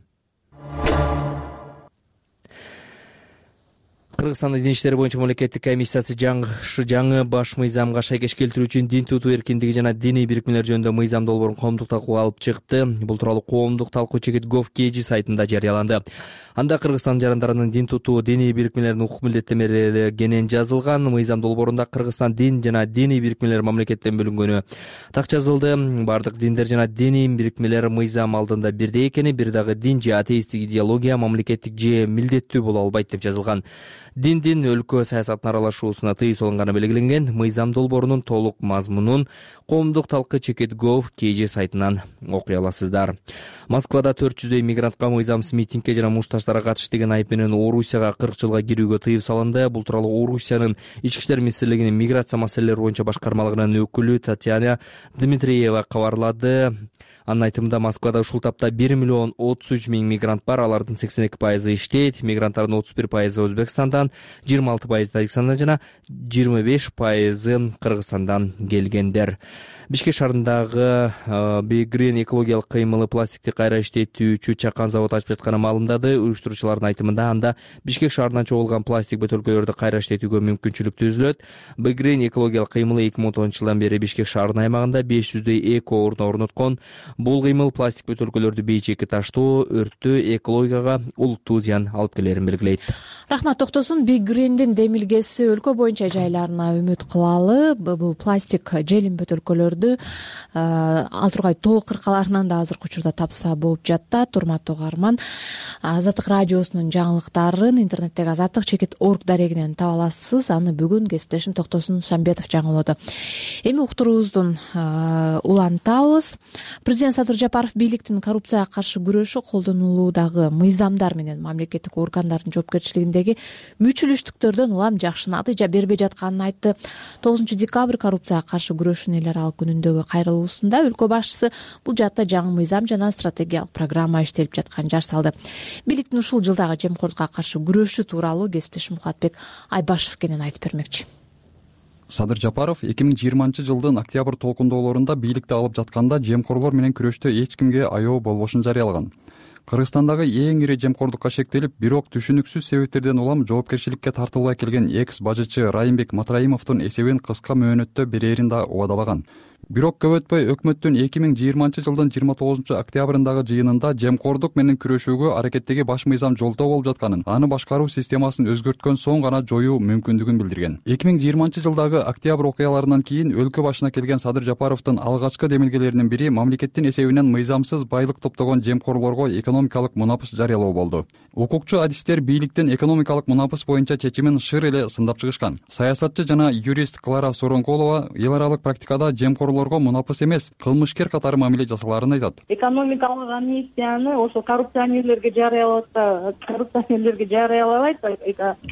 Кыргызстандын дин иштери боюнча мамлекеттик комиссиясы жаңы баш мыйзамга шайкеш келтирүү үчүн дин тутуу эркиндиги жана диний бирикмелер жөнүндө мыйзам долбоорун коомдук талкууга алып чыкты. Бул тууралуу коомдук талкуу Chekit.gov.kg сайтында жарыяланды. Анда Кыргызстан жарандарынын дин тутуу, диний бирикмелердин укук милдеттемелери кенен жазылган. Мыйзам долбоорунда Кыргызстан дин жана диний бирикмелер мамлекеттен бөлүнгөнү так жазылды. Бардык диндер жана диний бирикмелер мыйзам алдында бирдей экени, бир дагы дин же атеисттик идеология мамлекеттик же милдеттүү боло албайт деп жазылган. Диндин өлкө саясатына аралашуусуна тыюу салынганы белгиленген. Мыйзам долбоорунун толук мазмунун коомдук талкы Chekit.gov.kg сайтынан окуй аласыздар. Москвада 400дөй мигрантка мыйзамсыз митингге жана мушташтарга катыш деген айып менен Орусияга 40 жылга кирүүгө тыюу салынды. Бул тууралуу Орусиянын Ички иштер министрлигинин миграция маселелери боюнча башкармалыгынын өкүлү Татьяна Дмитриева кабарлады. Анын айтымында Москвада ушул тапта 1 миллион 33 миң мигрант бар. Алардын 82% иштейт. Мигранттардын 31% Өзбекстанда, Казакстандан, 26% Тажикстандан жана 25% Кыргызстандан келгендер. Бишкек шаарындагы Big Green экологиялык кыймылы пластикти кайра иштетүүчү чакан завод ачып жатканы маалымдады. Уюштуруучулардын айтымында анда Бишкек шаарынан чогулган пластик бөтөлкөлөрдү кайра иштетүүгө мүмкүнчүлүк түзүлөт. Big Green экологиялык кыймылы 2010-жылдан бери Бишкек шаарынын аймагында 500дөй эко орун орноткон. Бул кыймыл пластик бөтөлкөлөрдү бейчекке таштоо, өрттөө, экологияга олуттуу зыян алып келерин белгилейт. Рахмат, токтосун. Big Green'дин демилгеси өлкө боюнча жайларына үмүт кылалы. Бул пластик желим бөтөлкөлөрдү ал тургай тоо кыркаларынан да азыркы учурда тапса болуп жатат. Урматтуу угарман, Азаттык радиосунун жаңылыктарын интернеттеги azattik.org дарегинен таба аласыз. Аны бүгүн кесиптешим Токтосун Шамбетов жаңылоодо. Эми уктуруубуздун улантабыз. Президент Садыр Жапаров бийликтин коррупцияга каршы күрөшү колдонулуудагы мыйзамдар менен мамлекеттик органдардын жоопкерчилигиндеги мүчүлүштүктөрдөн улам жакшы натыйжа бербей жатканын айтты. 9 декабрь коррупцияга каршы күрөшүүнүн эл аралык күнүндөгү кайрылуусунда өлкө башчысы бул жаатта жаңы мыйзам жана стратегиялык программа иштелип жатканын жар салды. Бийликтин ушул жылдагы жемкордукка каршы күрөшү тууралуу кесиптешим Мухатбек Айбашев кенен айтып бермекчи. Садыр Жапаров 2020-жылдын октябрь толкундоолорунда бийликти алып жатканда жемкорлор менен күрөштө эч кимге аябуу болбошун жарыялаган. Кыргызстандагы эң ири жемкордукка шектелип, бирок түшүнүксүз себептерден улам жоопкерчиликке тартылбай келген экс-бажычы Райымбек Матраимовдун эсебин кыска мөөнөттө берерин да убадалаган. Бирок көп өтпөй өкмөттүн 2020-жылдын 29-октябрындагы жыйынында жемкордук менен күрөшүүгө аракеттеги баш мыйзам жолдоо болуп жатканын, аны башкаруу системасын өзгөрткөн соң гана жоюу мүмкүндүгүн билдирген. 2020-жылдагы октябрь окуяларынан кийин өлкө башына келген Садыр Жапаровдун алгачкы демилгелеринин бири мамлекеттин эсебинен мыйзамсыз байлык топтогон жемкорлорго экономикалык мунапыс жарыялоо болду. Укукчу адистер бийликтин экономикалык мунапыс боюнча чечимин шыр эле сындап чыгышкан. Саясатчы жана юрист Клара Соронколова эл аралык практикада жемкорлорго мунапыс эмес, кылмышкер катары мамиле жасаларын айтат. Экономикалык амнистияны ошо коррупционерлерге жарыялат, коррупционерлерге жарыялабайт,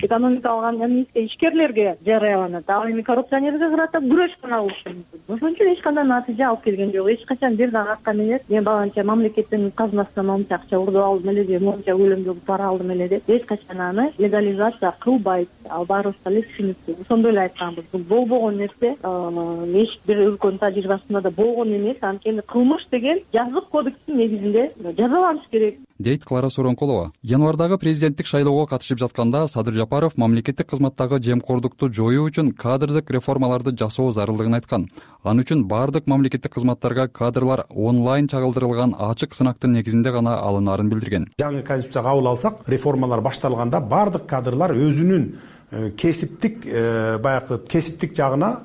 экономикалык амнистия ишкерлерге жарыяланат. Ал эми коррупционерге карата күрөш гана болушу мүмкүн. Ошон үчүн эч кандай натыйжа алып келген жок. Эч качан бир дагы аткан эмес. Мен баланча мамлекеттин казынасынан монча акча урдуп алдым эле же монча көлөмдөгү пара алдым эле деп эч качан аны легализация кылбайт. Ал баарыбызга эле түшүнүктүү. Ошондой эле айтканбыз. Бул болбогон нерсе, эч бир өлкөнүн тажрыйбасында да болгон эмес. Анткени кылмыш деген жазык кодекстин негизинде жазаланыш керек, дейт Клара Соронколова. Январдагы президенттик шайлоого катышып жатканда Садыр Жапаров мамлекеттик кызматтагы жемкордукту жоюу үчүн кадрдык реформаларды жасоо зарылдыгын айткан. Аны үчүн баардык мамлекеттик кызматтарга кадрлар онлайн чагылдырылган ачык сынактын негизинде гана алынаарын билдирген. Жаңы конституция кабыл алсак, реформалар башталганда баардык кадрлар өзүнүн кесиптик баягы кесиптик жагына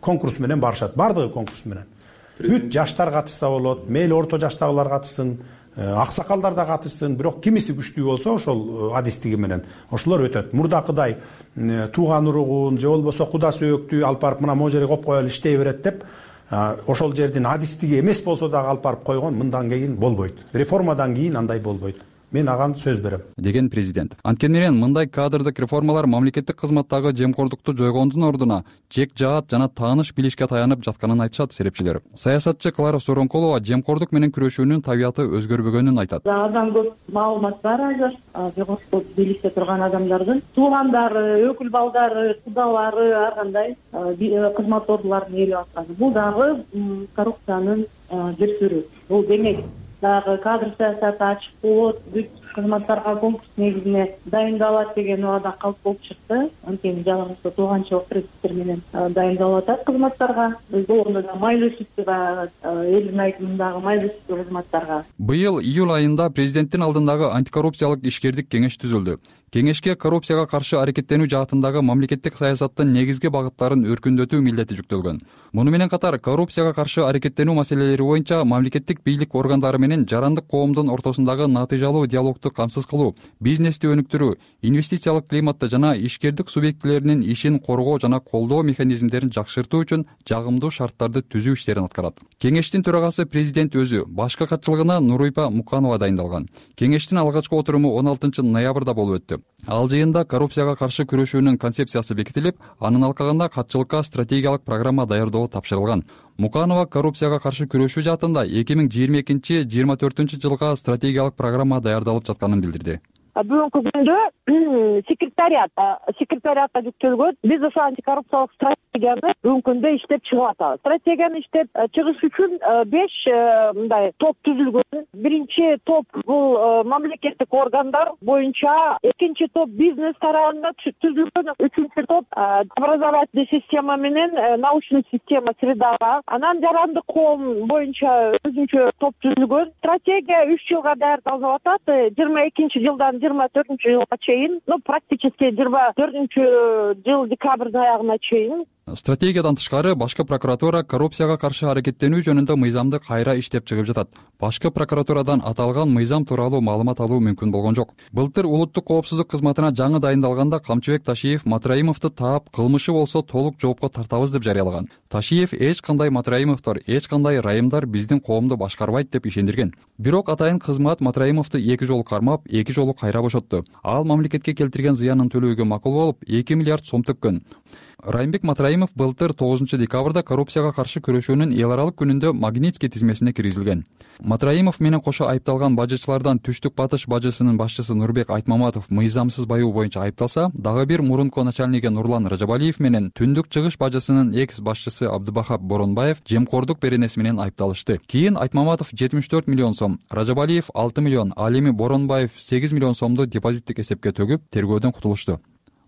конкурс менен барышат. Баардыгы конкурс менен. Бүт жаштар катышса болот, мейли орто жаштагылар катышсын, аксакалдар да катышсын, бирок кимиси күчтүү болсо ошол адистиги менен ошолор өтөт. Мурдакыдай тууган уругун же болбосо куда сөөктү алып барып мына могу жерге коюп коелу иштей берет деп ошол жердин адистиги эмес болсо дагы алып барып койгон мындан кийин болбойт. Реформадан кийин андай болбойт. Мен аган сөз берем, деген президент. Анткени менен мындай кадрдык реформалар мамлекеттик кызматтагы жемкордукту жойгондун ордуна жек жаат жана тааныш билишке таянып жатканын айтышат серепчилер. Саясатчы Клара Соронколова жемкордук менен күрөшүүнүн табияты өзгөрбөгөнүн айтат. Абдан көп маалымат бар азыр. Жогорку бийликте турган адамдардын туугандары, өкүл балдары, кудалары ар кандай кызмат ордуларын ээлеп атканы. Бул дагы коррупциянын бир түрү. Бул демек дагы кадр саясаты ачык болот, бүт кызматтарга конкурс негизине дайындалат деген убада калп болуп чыкты. Анткени жалгыз тууганчылык принциптер менен дайындалып атат кызматтарга. Болгондо да майлуу сүттү элдин айтымындагы майлуу сүттү кызматтарга. Быйыл июль айында президенттин алдындагы антикоррупциялык ишкердик кеңеш түзүлдү. Кеңешке коррупцияга каршы аракеттенүү жаатындагы мамлекеттик саясаттын негизги багыттарын өркүндөтүү милдети жүктөлгөн. Муну менен катар коррупцияга каршы аракеттенүү маселелери боюнча мамлекеттик бийлик органдары менен жарандык коомдун ортосундагы натыйжалуу диалогду камсыз кылуу, бизнести өнүктүрүү, инвестициялык климатты жана ишкердик субъектилеринин ишин коргоо жана колдоо механизмдерин жакшыртуу үчүн жагымдуу шарттарды түзүү иштерин аткарат. Кеңештин төрагасы президент өзү, башкы катчылыгына Нурыйпа Муканова дайындалган. Кеңештин алгачкы отуруму 16-ноябрда болуп өттү. Ал жыйында коррупцияга каршы күрөшүүнүн концепциясы бекитилип, анын алкагында катчылыкка стратегиялык программа даярдоо тапшырылган. Муканова коррупцияга каршы күрөшүү жаатында 2022-24 жылга стратегиялык программа даярдалып жатканын билдирди. бүгүнкү күндө секретариатка жүктөлгөн. Биз ошо антикоррупциялык стратегияны бүгүнкү күндө иштеп чыгып атабыз. Стратегияны иштеп чыгыш үчүн 5 мындай топ түзүлгөн. Биринчи топ бул мамлекеттик органдар боюнча, экинчи топ бизнес тарабында түзүлгөн, үчүнчү топ образовательный система менен научный система средага, анан жарандык коом боюнча өзүнчө топ түзүлгөн. Стратегия 3 жылга даярдалып атат. 22-жылдан 24-жылга чейин, практически 24-жыл декабрдын аягына чейин. Стратегиядан тышкары башкы прокуратура коррупцияга каршы аракеттенүү жөнүндө мыйзамды кайра иштеп чыгып жатат. Башкы прокуратурадан аталган мыйзам тууралуу маалымат алуу мүмкүн болгон жок. Былтыр улуттук коопсуздук кызматына жаңы дайындалганда Камчыбек Ташиев Матраимовду таап, кылмышы болсо толук жоопко тартабыз деп жарыялаган. Ташиев эч кандай Матраимовдор, эч кандай райымдар биздин коомду башкарбайт деп ишендирген. Бирок атайын кызмат Матраимовду 2 жолу кармап, 2 жолу кайра бошотту. Ал мамлекетке келтирген зыянын төлөөгө макул болуп, 2 миллиард сом төккөн. Райымбек Матраимов былтыр 9 декабрда коррупцияга каршы күрөшүүнүн эл аралык күнүндө Магнитский тизмесине киргизилген. Матраимов менен кошо айыпталган бажычылардан Түштүк Батыш бажысынын башчысы Нурбек Айтмаматов мыйзамсыз баюу боюнча айыпталса, дагы бир мурунку начальниги Нурлан Ражабалиев менен Түндүк Чыгыш бажысынын экс башчысы Абдыбахап Боронбаев жемкордук беренеси менен айыпталышты. Кийин Айтмаматов 74 миллион сом, Ражабалиев 6 миллион, ал эми Боронбаев 8 миллион сомду депозиттик эсепке төгүп, тергөөдөн кутулушту.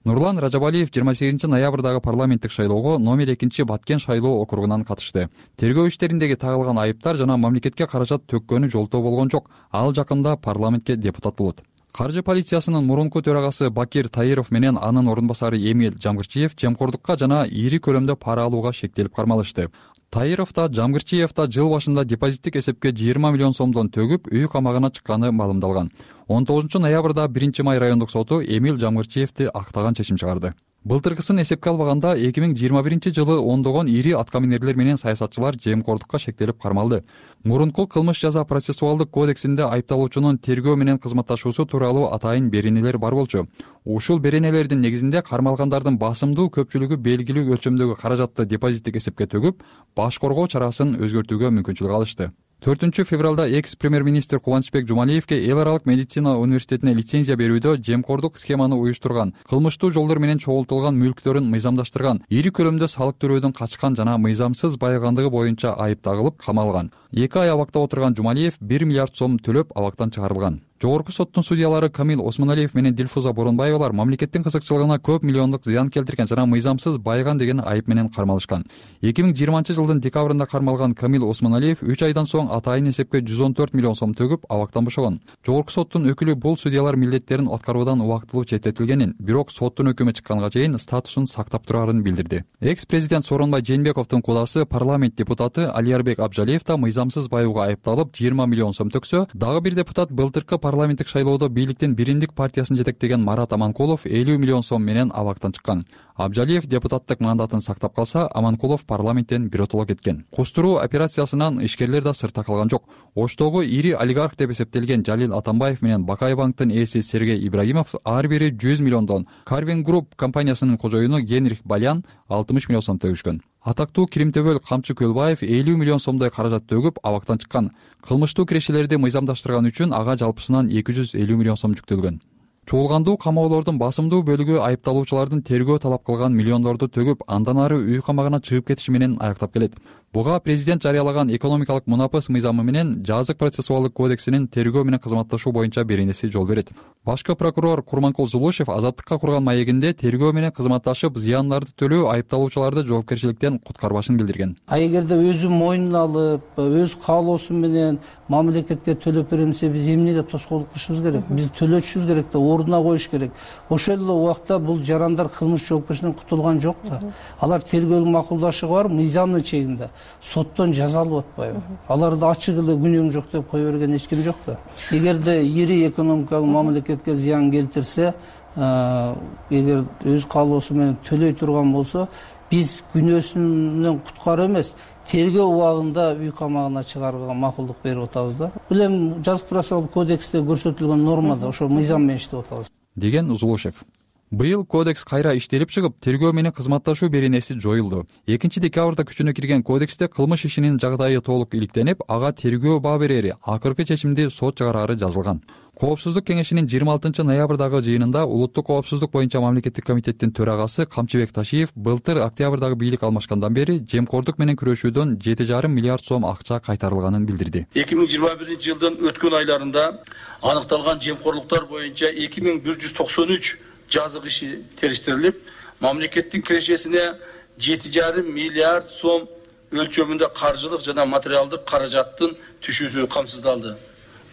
Нурлан Ражабалиев 28 ноябрдагы парламенттик шайлоого номер 2 Баткен шайлоо округунан катышты. Тергөө иштериндеги тагылган айыптар жана мамлекетке каражат төккөнү жолтоо болгон жок. Ал жакында парламентке депутат болот. Каржы полициясынын мурунку төрагасы Бакир Таиров менен анын орун басары Эмил Жамгырчиев жемкордукка жана ири көлөмдө пара алууга шектелип кармалышты. Таиров да Жамгырчиев да жыл башында депозиттик эсепке 20 миллион сомдон төгүп, үй камагына чыкканы маалымдалган. 19 ноябрда 1 май райондук соту Эмил Жамгырчиевди актаган чечим чыгарды. Былтыркысын эсепке албаганда 2021 жылы ондогон ири аткаминерлер менен саясатчылар жемкордукка шектелип кармалды. Мурунку кылмыш жаза процессуалдык кодексинде айыпталуучунун тергөө менен кызматташуусу тууралуу атайын беренелер бар болчу. Ушул беренелердин негизинде кармалгандардын басымдуу көпчүлүгү белгилүү өлчөмдөгү каражатты депозиттик эсепке төгүп, баш коргоо чарасын өзгөртүүгө мүмкүнчүлүк алышты. 4 февралда экс-премьер-министр Кубанычбек Жумалиевке эл аралык медицина университетине лицензия берүүдө жемкордук схеманы уюштурган, кылмыштуу жолдор менен чогултулган мүлктөрүн мыйзамдаштырган, ири көлөмдө салык төлөөдөн качкан жана мыйзамсыз байыгандыгы боюнча айып тагылып камалган. 2 ай абакта отурган Жумалиев 1 миллиард сом төлөп абактан чыгарылган. Жогорку соттун судьялары Камил Осмоналиев менен Дилфуза Боронбаевалар мамлекеттин кызыкчылыгына көп миллиондук зыян келтирген жана мыйзамсыз байыган деген айып менен кармалышкан. 2020-жылдын декабрында кармалган Камил Осмоналиев 3 айдан соң атайын эсепке 114 миллион сом төгүп абактан бошогон. Жогорку соттун өкүлү бул судьялар милдеттерин аткаруудан убактылуу четтетилгенин, бирок соттун өкүмү чыкканга чейин статусун сактап турарын билдирди. Экс-президент Сооронбай Жээнбековдун кудасы парламент депутаты Алиярбек Абжалиев да мыйзамсыз баюуга айыпталып 20 миллион сом төксө, дагы бир депутат былтыркы парламенттик шайлоодо бийликтин биримдик партиясын жетектеген Марат Аманкулов 50 миллион сом менен абактан чыккан. Абжалиев депутаттык мандатын сактап калса, Аманкулов парламенттен биротоло кеткен. Кустуруу операциясынан ишкерлер да сыртта калган жок. Оштогу ири олигарх деп эсептелген Жалил Атамбаев менен Бакай банктын ээси Сергей Ибрагимов ар бири 100 миллиондон, Carvin Group компаниясынын кожоюну Генрих Балян 60 миллион сом төгүшкөн. Атактуу Киримтөбөл Камчы Көлбаев 50 миллион сомдой каражат төгүп абактан чыккан. Кылмыштуу кирешелерди мыйзамдаштырган үчүн ага жалпысынан 250 миллион сом жүктөлгөн. Чогулгандуу камоолордун басымдуу бөлүгү айыпталуучулардын тергөө талап кылган миллиондорду төгүп, андан ары үй камагына чыгып кетиши менен аяктап келет. Буга президент жарыялаган экономикалык мунапыс мыйзамы менен жазык процессуалдык кодексинин тергөө менен кызматташуу боюнча беренеси жол берет. Башкы прокурор Курманкул Зулушев азаттыкка курган маегинде тергөө менен кызматташып зыяндарды төлөө айыпталуучуларды жоопкерчиликтен куткарбашын билдирген. Эгерде өзү мойнуна алып, өз каалоосу менен мамлекетке төлөп берем десе, биз эмнеге тоскоолдук кылышыбыз керек? Биз төлөтүшүбүз керек да, ордуна коюш керек. Ошол эле убакта бул жарандар кылмыш жоопкерчиликтен кутулган жок да. Алар тергөөлүк макулдашы бар, мыйзамдын чегинде. Соттон жазалып атпайбы? Аларды ачык эле күнөөң жок деп кое берген эч ким жок да. Эгерде ири экономикалык мамлекетке зыян келтирсе, эгер өз каалоосу менен төлөй турган болсо, биз күнөөсүнөн куткаруу эмес, тергөө убагында үй камагына чыгарууга макулдук берип атабыз да. Бул эми жазык процессуалдык кодексте көрсөтүлгөн нормада ошо мыйзам менен иштеп атабыз, деген Зулушев. Быйыл кодекс кайра иштелип чыгып, тергөө менен кызматташуу беренеси жоюлду. 2-декабрда күчүнө кирген кодексте кылмыш ишинин жагдайы толук иликтенип, ага тергөө баа берери, акыркы чечимди сот чыгарары жазылган. Коопсуздук кеңешинин 26-ноябрдагы жыйынында Улуттук коопсуздук боюнча мамлекеттик комитеттин төрагасы Камчыбек Ташиев былтыр октябрдагы бийлик алмашкандан бери жемкордук менен күрөшүүдөн 7,5 миллиард сом акча кайтарылганын билдирди. 2021-жылдын өткөн айларында аныкталган жемкорлуктар боюнча 2193 жазык иши териштирилип, мамлекеттин кирешесине 7,5 миллиард сом өлчөмүндө каржылык жана материалдык каражаттын түшүүсү камсыздалды.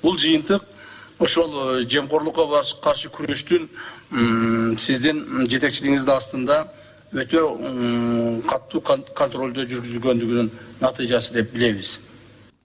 Бул жыйынтык ошол жемкорлукка каршы күрөштүн сиздин жетекчилигиңиздин астында өтө катуу контролдо жүргүзүлгөндүгүнүн натыйжасы деп билебиз.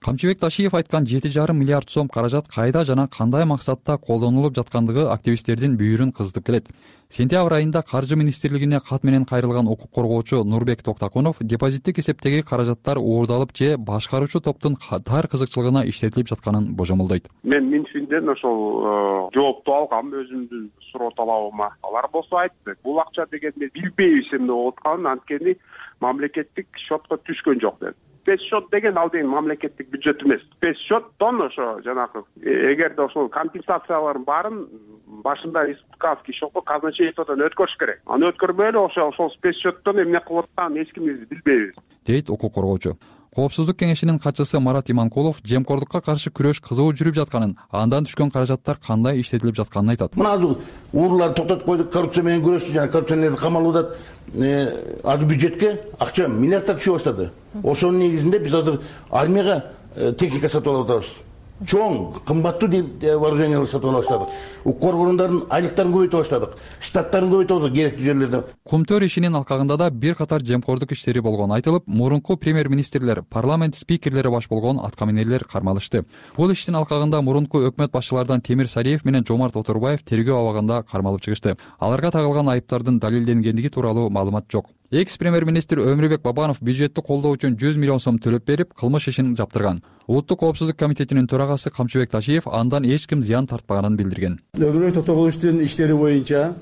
Камчыбек Ташиев айткан 7,5 миллиард сом каражат кайда жана кандай максатта колдонулуп жаткандыгы активисттердин бүйүрүн кыздырып келет. Сентябрь айында Каржы министрлигине кат менен кайрылган укук коргоочу Нурбек Токтакунов депозиттик эсептеги каражаттар уурдалып же башкаруучу топтун тар кызыкчылыгына иштетилип жатканын божомолдойт. Мен Минфинден ошол жоопту алгам өзүмдүн суроо талабыма. Алар болсо айтты, бул акча дегенди билбейбиз эмне болуп атканын, анткени мамлекеттик счетко түшкөн жок деп. Спецсчет деген ал деген мамлекеттик бюджет эмес. Спецсчеттон ошо жанагы эгерде ошол компенсациялардын баарын башында республикалский счетко казначействодон өткөрүш керек. Аны өткөрбөй эле ошол спецсчеттон эмне кылып атканын эч ким билбейбиз, дейт укук коргоочу. Коопсуздук кеңешинин катчысы Марат Иманкулов жемкордукка каршы күрөш кызуу жүрүп жатканын, андан түшкөн каражаттар кандай иштетилип жатканын айтат. Мына ууруларды токтотуп койдук, коррупция менен күрөштү, жана коррупционерлерди камалып атат. Азыр бюджетке акча миллиарддар түшө баштады. Ошонун негизинде биз азыр армияга техника сатып алып атабыз. Чоң, кымбаттуу вооружениялар сатып ала баштадык. Укук коргондордун айлыктарын көбөйтө баштадык. Штаттарын көбөйтө баштадык керектүү жерлерде. Кумтөр ишинин алкагында да бир катар жемкордук иштери болгону айтылып, мурунку премьер-министрлер, парламент спикерлери баш болгон аткаминерлер кармалышты. Бул иштин алкагында мурунку өкмөт башчылардан Темир Сариев менен Жомарт Отурбаев тергөө абагында кармалып чыгышты. Аларга тагылган айыптардын далилденгендиги тууралуу маалымат жок. Экс-премьер-министр Өмүрбек Бабанов бюджетти колдоо үчүн 100 миллион сом төлөп берип, кылмыш ишин жаптырган. Улуттук коопсуздук комитетинин төрагасы Камчыбек Ташиев андан эч ким зыян тартпаганын билдирген. Өмүрбек Токтогуловичтин иштери боюнча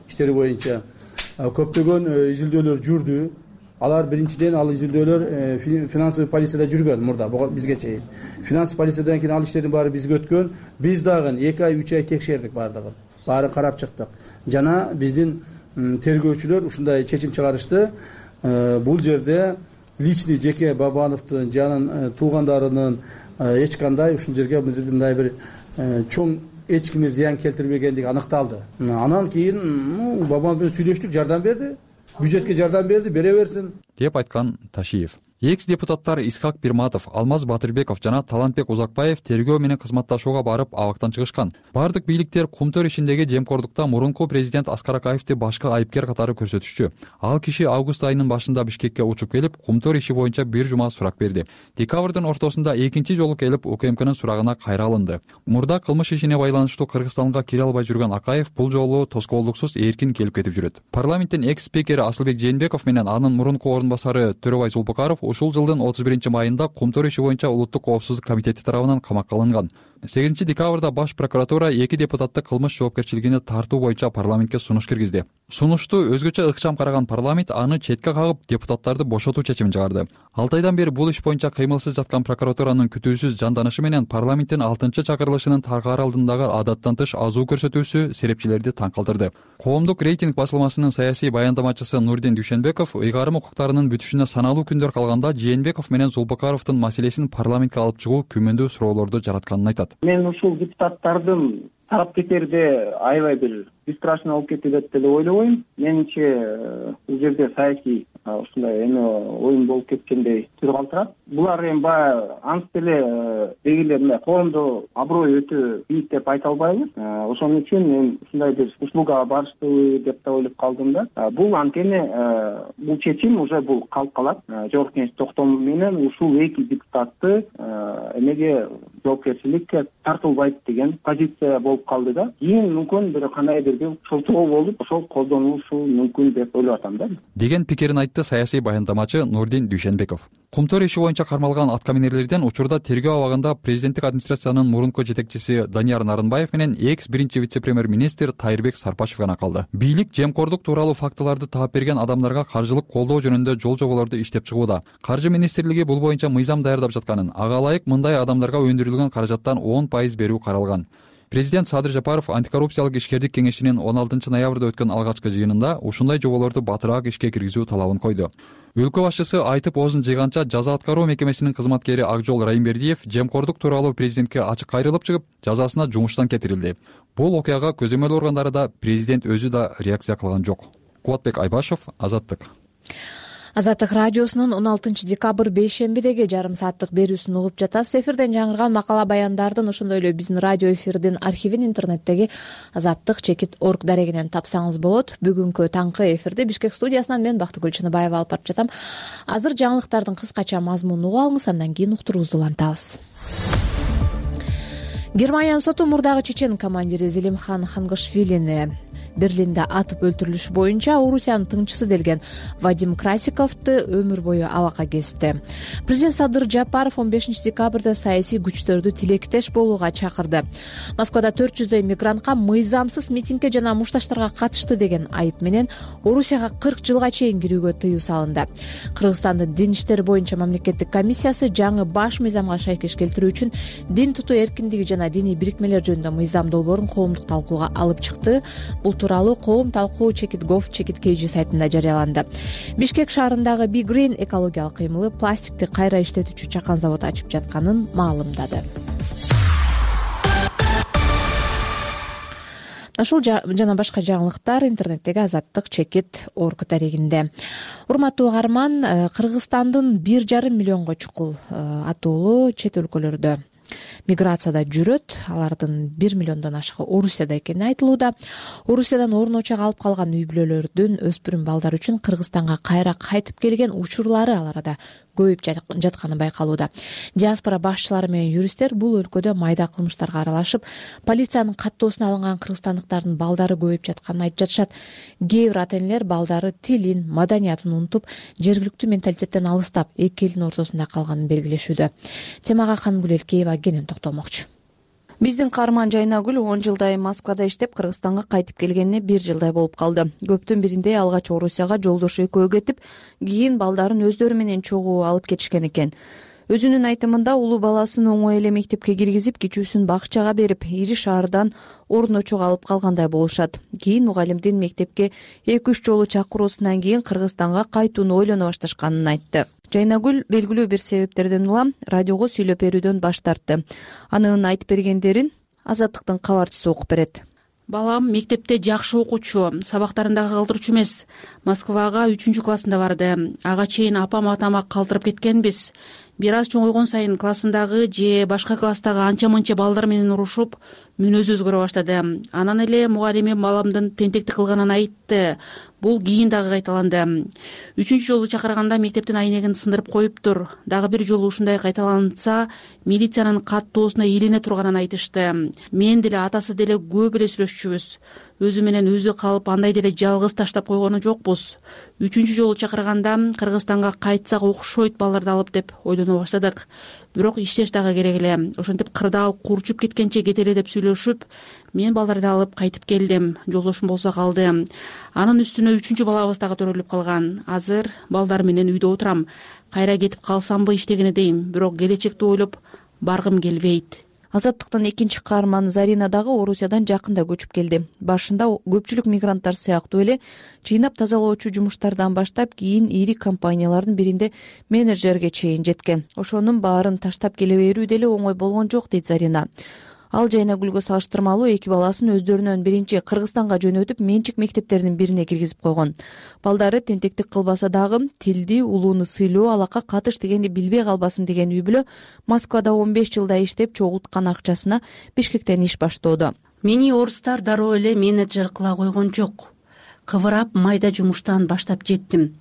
көптөгөн изилдөөлөр жүрдү. Алар биринчиден ал изилдөөлөр финансовый полицияда жүргөн мурда бизге чейин. Финансовый полициядан кийин ал иштердин баары бизге өткөн. Биз дагы 2 ай 3 ай текшердик баардыгын. Баары карап чыктык. Жана биздин тергөөчүлөр ушундай чечим чыгарышты. Бул жерде личный жеке Бабановдун жанын туугандарынын эч кандай ушул жерге мындай бир чоң эч кимге зыян келтирбегендиги аныкталды. Анан кийин Бабанов менен сүйлөштүк, жардам берди. Бюджетке жардам берди, бере берсин деп айткан Ташиев. Экс-депутаттар Исхак Пирматов, Алмаз Батырбеков жана Талантбек Узакбаев тергөө менен кызматташууга барып абактан чыгышкан. Бардык бийликтер Кумтөр ишиндеги жемкордукта мурунку президент Аскар Акаевди башкы айыпкер катары көрсөтүшчү. Ал киши август айынын башында Бишкекке учуп келип, Кумтөр иши боюнча бир жума сурак берди. Декабрдын ортосунда экинчи жолу келип УКМКнын сурагына кайра алынды. Мурда кылмыш ишине байланыштуу Кыргызстанга кире албай жүргөн Акаев бул жолу тоскоолдуксуз эркин келип кетип жүрөт. Парламенттин экс-спикери Асылбек Жээнбеков менен анын мурунку орун басары Төрөбай Зулпукаров ушул жылдын 31-майында Кумтөр иши боюнча Улуттук коопсуздук комитети тарабынан камакка алынган. 8-декабрда баш прокуратура 2 депутатты кылмыш жоопкерчилигине тартуу боюнча парламентке сунуш киргизди. Сунушту өзгөчө ыкчам караган парламент аны четке кагып, депутаттарды бошотуу чечимин чыгарды. 6 айдан бери бул иш боюнча кыймылсыз жаткан прокуратуранын күтүүсүз жанданышы менен парламенттин 6-чакырылышынын таргаар алдындагы адаттан тыш азуу көрсөтүүсү серепчилерди таң калтырды. Коомдук рейтинг басылмасынын саясий баяндамачысы Нурдин Дүйшөнбеков ыйгарым укуктарынын бүтүшүнө саналуу күндөр калганда Жээнбеков менен Зулпукаровдун маселесин парламентке алып чыгуу күмөндүү суроолорду жаратканын айтат. Мен ушул депутаттардын тараптекерде аябай бир бесстрашный болуп кетет деп ойлобойм. Менимче бул жерде саясий ушундай эме оюн болуп кеткендей түр калтырат. Булар эми баягы ант эле дегилер коомдо аброй өтө бийик деп айта албайбыз. Ошон үчүн мен ушундай бир услугага барыштыбы деп да ойлоп калдым да. Бул анткени бул чечим уже бул калып калат. Жогорку Кеңеш токтому менен ушул эки депутатты эмеге жоопкерчиликке тартылбайт деген позиция болуп калды да. Кийин мүмкүн бир кандайдыр бир шылтоо болуп ошол колдонулушу мүмкүн деп ойлоп атам да деген пикирин айтты саясий баяндамачы Нурдин Дүйшенбеков. Кумтөр иши боюнча кармалган аткаминерлерден учурда тергөө абагында президенттик администрациянын мурунку жетекчиси Данияр Нарынбаев менен экс-биринчи вице-премьер-министр Тайырбек Сарпашев гана калды. Бийлик жемкордук тууралуу фактыларды таап берген адамдарга каржылык колдоо жөнүндө жол жоболорду иштеп чыгууда. Каржы министрлиги бул боюнча мыйзам даярдап жатканын, ага ылайык мындай адамдарга өндүрүлгөн каражаттан 10% берүү каралган. Президент Садыр Жапаров антикоррупциялык ишкердик кеңешинин 16 ноябрда өткөн алгачкы жыйынында ушундай жоболорду батыраак ишке киргизүү талабын койду. Өлкө башчысы айтып оозун жыйганча жаза аткаруу мекемесинин кызматкери Акжол Райымбердиев жемкордук тууралуу президентке ачык кайрылып чыгып, жазасына жумуштан кетирилди. Бул окуяга көзөмөл органдары да, президент өзү да реакция кылган жок. Кубатбек Айбашев, Азаттык. Азаттык радиосунун 16 декабрь бейшембидеги жарым сааттык берүүсүн угуп жатасыз. Эфирден жаңырган макала баяндардын, ошондой эле биздин радио эфирдин архивин интернеттеги azattik.org дарегинен тапсаңыз болот. Бүгүнкү таңкы эфирди Бишкек студиясынан мен Бактыгүл Чыныбаева алып барып жатам. Азыр жаңылыктардын кыскача мазмунун угуп алыңыз, андан кийин уктуруубузду улантабыз. Германиянын соту мурдагы чечен командири Зелимхан Хангашвилини Берлинде атып өлтүрүлүшү боюнча Орусиянын тыңчысы делген Вадим Красиковду өмүр бою абакка кести. Президент Садыр Жапаров 15 декабрда саясий күчтөрдү тилектеш болууга чакырды. Москвада 400дөй мигрантка мыйзамсыз митингге жана мушташтарга катышты деген айып менен Орусияга 40 жылга чейин кирүүгө тыюу салынды. Кыргызстандын дин иштери боюнча мамлекеттик комиссиясы жаңы баш мыйзамга шайкеш келтирүү үчүн дин тутуу эркиндиги жана диний бирикмелер жөнүндө мыйзам долбоорун коомдук талкууга алып чыкты. Бул тууралуу коом талкуу Chekit.gov.kg сайтында жарыяланды. Бишкек шаарындагы Big Green экологиялык кыймылы пластикти кайра иштетүүчү чакан заводу ачып жатканын маалымдады. Ушул жана башка жаңылыктар интернеттеги azattik.org дарегинде. Урматтуу угарман, Кыргызстандын 1,5 миллионго чукул атуулу чет өлкөлөрдө миграцияда жүрөт. Алардын 1 миллиондон ашыгы Орусияда экени айтылууда. Орусиядан орун очок алып калган үй бүлөлөрдүн өспүрүм балдар үчүн Кыргызстанга кайра кайтып келген учурлары ал арада көбөйүп жатканы байкалууда. Диаспора башчылары менен юристтер бул өлкөдө майда кылмыштарга аралашып, полициянын каттоосуна алынган кыргызстандыктардын балдары көбөйүп жатканын айтып жатышат. Кээ бир ата-энелер балдары тилин, маданиятын унутуп, жергиликтүү менталитеттен алыстап, эки элдин ортосунда калганын белгилешүүдө. Темага Хангүл Элкеева кенен токтолмокчу. Биздин каарман Жайнагүл 10 жылдай Москвада иштеп, Кыргызстанга кайтып келгенине 1 жылдай болуп калды. Көптүн биринде алгач Орусияга жолдошу экөө кетип, кийин балдарын өздөрү менен чогуу алып кетишкен экен. Өзүнүн айтымында улуу баласын оңой эле мектепке киргизип, кичүүсүн бакчага берип, ири шаардан орун очок алып калгандай болушат. Кийин мугалимдин мектепке 2-3 жолу чакыруусунан кийин Кыргызстанга кайтууну ойлоно башташканын айтты. Жайнагүл белгилүү бир себептерден улам радиого сүйлөп берүүдөн баш тартты. Анын айтып бергендерин Азаттыктын кабарчысы окуп берет. Балам мектепте жакшы окуучу, сабактарында калтыруучу эмес. Москвага 3-классында барды. Ага чейин апам атама калтырып кеткенбиз. Бир аз чоңойгон сайын классындагы же башка класстагы анча-мынча балдар менен урушуп, мүнөзү өзгөрө баштады. Анан эле мугалимим баламдын тентектик кылганын айтты. Бул кийин дагы кайталанды. 3-жолу чакырганда мектептин айнегин сындырып коюптур. Дагы бир жолу ушундай кайталанса, милициянын каттоосуна илене турганын айтышты. Мен деле атасы деле көп эле сүйлөшчүбүз. Өзү менен өзү калып, андай деле жалгыз таштап койгону жокпуз. 3-жолу чакырганда Кыргызстанга кайтсак окшойт балдарды алып деп ойлоно баштадык. Бирок иштеш дагы керек эле. Ошентип кырдаал курчуп кеткенче кетели деп сүйлөшүп, мен балдарды алып кайтып келдим. Жолдошум болсо калды. Анын үстүнө 3 балабыз дагы төрөлүп калган. Азыр балдар менен үйдө отурам. Кайра кетип калсамбы иштегени дейм, бирок келечекти ойлоп баргым келбейт. Азаттыктын экинчи каарманы Зарина дагы Орусиядан жакында көчүп келди. Башында көпчүлүк мигранттар сыяктуу эле чыйнап тазалоочу жумуштардан баштап, кийин ири компаниялардын биринде менеджерге чейин жеткен. Ошонун баарын таштап келе берүү деле оңой болгон жок, дейт Зарина. Ал Жайнагүлгө салыштырмалуу 2 баласын өздөрүнөн биринчи Кыргызстанга жөнөтүп, менчик мектептеринин бирине киргизип койгон. Балдары тентектик кылбаса дагы тилди, улууну сыйлоо, алакка катыш дегенди билбей калбасын деген үй бүлө Москвада 15 жылда иштеп чогулткан акчасына Бишкектен иш баштоодо. Мени орустар дароо эле менеджер кыла койгон жок. Кыбырап майда жумуштан баштап жеттим.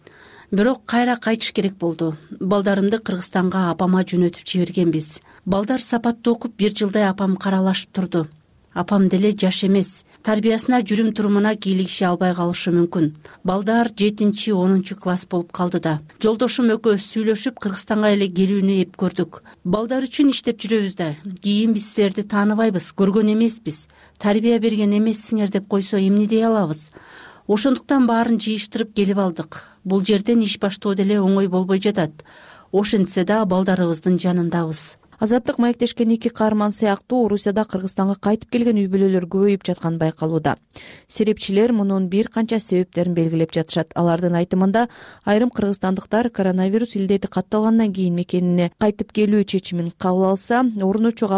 бирок кайра кайтыш керек болду. Балдарымды Кыргызстанга апама жөнөтүп жибергенбиз. Балдар сапаттуу окуп 1 жылдай апам каралашып турду. Апам деле жаш эмес. Тарбиясына, жүрүм-турумуна кийлигише албай калышы мүмкүн. Балдар 7-10 класс болуп калды да. Жолдошум экөөбүз сүйлөшүп Кыргызстанга эле келүүнү эп көрдүк. Балдар үчүн иштеп жүрөбүз да. Кийин биз силерди тааныбайбыз, көргөн эмеспиз. Тарбия берген эмессиңер деп койсо эмне дей алабыз? Ошондуктан баарын жыйыштырып келип алдык. Бул жерден иш баштоо деле оңой болбой жатат. Ошентсе да балдарыбыздын жанындабыз. Азаттык маектешкен 2 каарман сыяктуу Орусияда Кыргызстанга кайтып келген үй бүлөлөр көбөйүп жатканы байкалууда. Серепчилер мунун бир канча себептерин белгилеп жатышат. Алардын айтымында айрым кыргызстандыктар коронавирус илдети катталгандан кийин мекенине кайтып келүү чечимин кабыл алса, орун очогу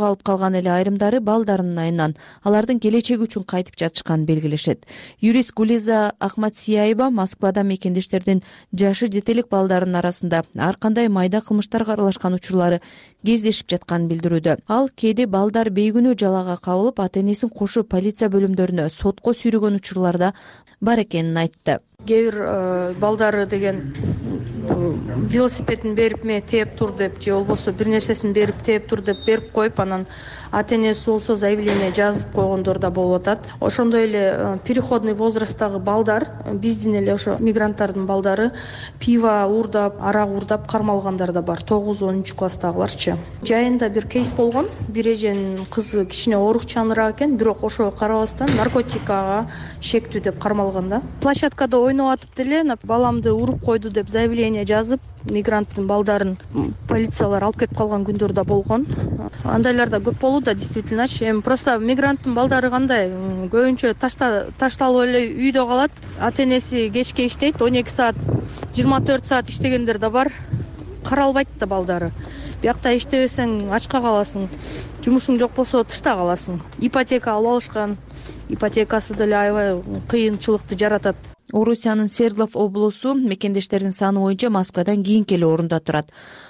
алып калган эле айрымдары балдарынын айынан алардын келечеги үчүн кайтып жатышканын белгилешет. Юрист Гулиза Ахматсияева Москвада мекендештердин жашы жетелик балдарынын арасында ар кандай майда кылмыштарга аралашкан учурлары кездешип жатканын билдирүүдө. Ал кээде балдар бейгүнөө жалага кабылып, ата-энесин кошо полиция бөлүмдөрүнө сотко сүйрөгөн учурларда бар экенин айтты. Кээ бир балдары деген велосипедин берип ме тээп тур деп, же болбосо бир нерсесин берип тээп тур деп берип коюп, анан ата-энеси болсо заявление жазып койгондор да болуп атат. Ошондой эле переходный возрасттагы балдар, биздин эле ошо мигранттардын балдары пиво уурдап, арак уурдап кармалгандар да бар. 9-10 класстагыларчы. Жайында бир кейс болгон. Бир эженин кызы кичине оорукчаныраак экен, бирок ошого карабастан наркотикага шектүү деп кармалган да. Площадкада ойноп атып деле баламды уруп койду деп заявление жазып, мигранттын балдарын полициялар алып кетип калган күндөр да болгон. Андайлар да көп болууда, действительночи. Эми просто мигранттын балдары кандай, көбүнчө ташталып эле үйдө калат. Ата-энеси кечке иштейт, 12 саат, 24 саат иштегендер да бар. Каралбайт да балдары. Биякта иштебесең ачка каласың, жумушуң жок болсо тышта каласың. Ипотека алып алышкан, ипотекасы деле аябай кыйынчылыкты жаратат. Орусиянын Свердлов облусу мекендештердин саны боюнча Москвадан кийинки эле орунда турат.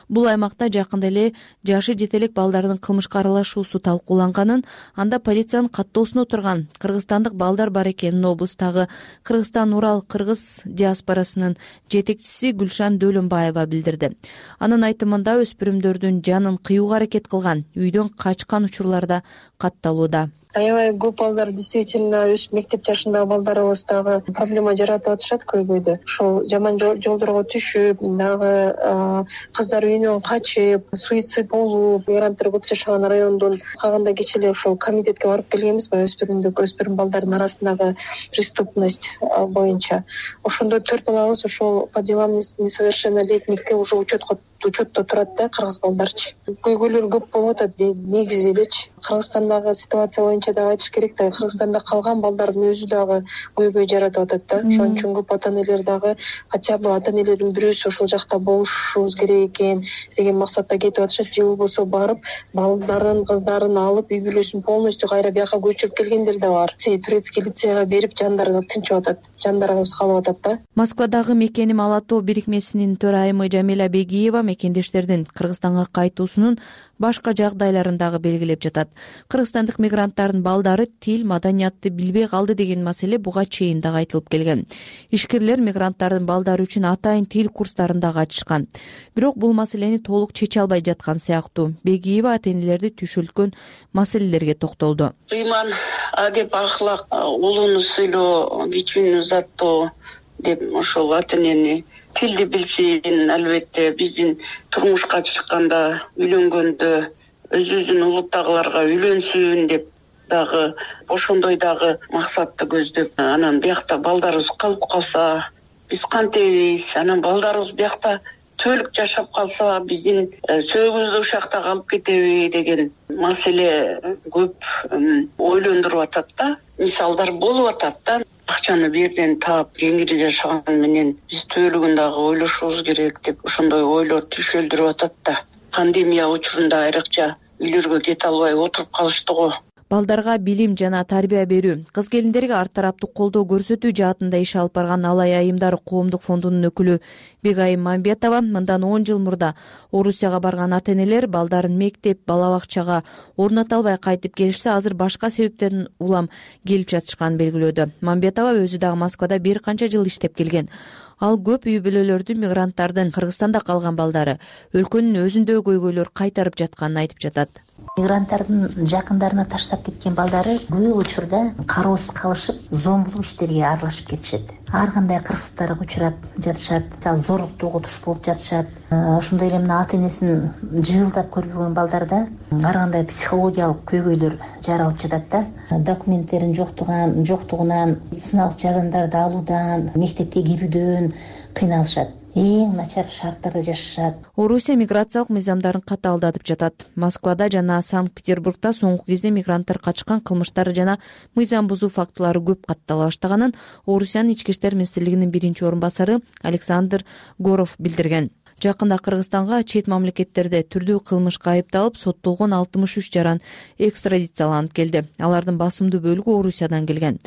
Бул аймакта жакында эле жашы жетелек балдардын кылмышка аралашуусу талкууланганын, анда полициянын каттоосуна отурган кыргызстандык балдар бар экенин облустагы Кыргызстан Урал кыргыз диаспорасынын жетекчиси Гүлшан Дөлөнбаева билдирди. Анын айтымында өспүрүмдөрдүн жанын кыюуга аракет кылган, үйдөн качкан учурларда катталууда. Аябай көп балдар действительно өз мектеп жашындагы балдарыбыз дагы проблема жаратып атышат көйгөйдө. Ошол жаман жолдорго түшүп, дагы кыздар үйүнөн качып, суицид болуп, мигранттар көп жашаган райондун кагында кечээ эле ошол комитетке барып келгенбиз, өспүрүм балдардын арасындагы преступность боюнча. Ошондо 4 балабыз ошол по делам несовершеннолетнихке уже учетто турат да, кыргыз балдарчы. Көйгөйлөр көп болуп атат негизи элечи. Кыргызстандагы ситуация боюнча да айтыш керек да, Кыргызстанда калган балдардын өзү дагы көйгөй жаратып атат да. Ошон үчүн көп ата-энелер дагы хотя бы ата-энелердин бирөөсү ошол жакта болушубуз керек экен деген максатта кетип атышат, же болбосо барып балдарын, кыздарын алып үй бүлөсүн полностью кайра бияка көчүрүп келгендер да бар. Турецкий лицейга берип жандары тынчып атат, жандарыбыз калып атат да. Москвадагы Мекеним Ала Тоо бирикмесинин төрайымы Жамиля Бегиева мекендештердин Кыргызстанга кайтуусунун башка жагдайларын дагы белгилеп жатат. Кыргызстандык мигранттардын балдары тил, маданиятты билбей калды деген маселе буга чейин дагы айтылып келген. Ишкерлер мигранттардын балдары үчүн атайын тил курстарын дагы ачышкан. Бирок бул маселени толук чече албай жаткан сыяктуу. Бегиева ата-энелерди түшүлткөн маселелерге токтолду. Ыйман, адеп, ахлак, улууну сыйлоо, кичүүнү заттоо деп ошол ата-энени тилди билсин, албетте биздин турмушка чыкканда, үйлөнгөндө өзүбүздүн улуттагыларга үйлөнсүн деп дагы ошондой дагы максатты көздөп, анан биякта балдарыбыз калып калса, биз кантебиз, анан балдарыбыз биякта түбөлүк жашап калса, биздин сөөгүбүздү ушакта калып кетеби деген маселе көп ойлондуруп атат да. Мисалдар болуп атат да. Акчаны бирден таап, кеңири жашаган менен биз түбөлүгүн дагы ойлошубуз керек деп ошондой ойлор түшөлдүрүп атат да. Пандемия учурунда айрыкча үйлөргө кете албай отуруп калышты го. Балдарга билим жана тарбия берүү, кыз келиндерге ар тараптуу колдоо көрсөтүү жаатында иш алып барган Алай айымдар коомдук фондунун өкүлү Бегайым Мамбетова мындан 10 жыл мурда Орусияга барган ата-энелер балдарын мектеп, бала бакчага орната албай кайтып келишсе, азыр башка себептерден улам келип жатышканын белгилөөдө. Мамбетова өзү дагы Москвада бир канча жыл иштеп келген. Ал көп үй бүлөлөрдү мигранттардын Кыргызстанда калган балдары өлкөнүн өзүндө көйгөйлөр кайтарып жатканын айтып жатат. Мигранттардын жакындарына таштап кеткен балдары көп учурда кароосуз калышып, зомбулук иштерге аралашып кетишет. Ар кандай кырсыктарга учурап жатышат, зорлуктуу угутуш болуп жатышат. Ошондой эле мына ата энесин жылдап көрбөгөн балдарда ар кандай психологиялык көйгөйлөр жаралып жатат да. Документтерин жоктугунан, медициналык жардамдарды алуудан, мектепке кирүүдөн кыйналышат. Эң начар шарттарда жашашат. Орусия миграциялык мыйзамдарын катаалдатып жатат. Москвада жана Санкт-Петербургда соңку кезде мигранттар качкан кылмыштары жана мыйзам бузуу фактылары көп каттала баштаганын Орусиянын ички иштер министрлигинин биринчи орун басары Александр Горов билдирген. Жакында Кыргызстанга чет мамлекеттерде түрдүү кылмышка айыпталып соттолгон 63 жаран экстрадицияланып келди. Алардын басымдуу бөлүгү Орусиядан келген.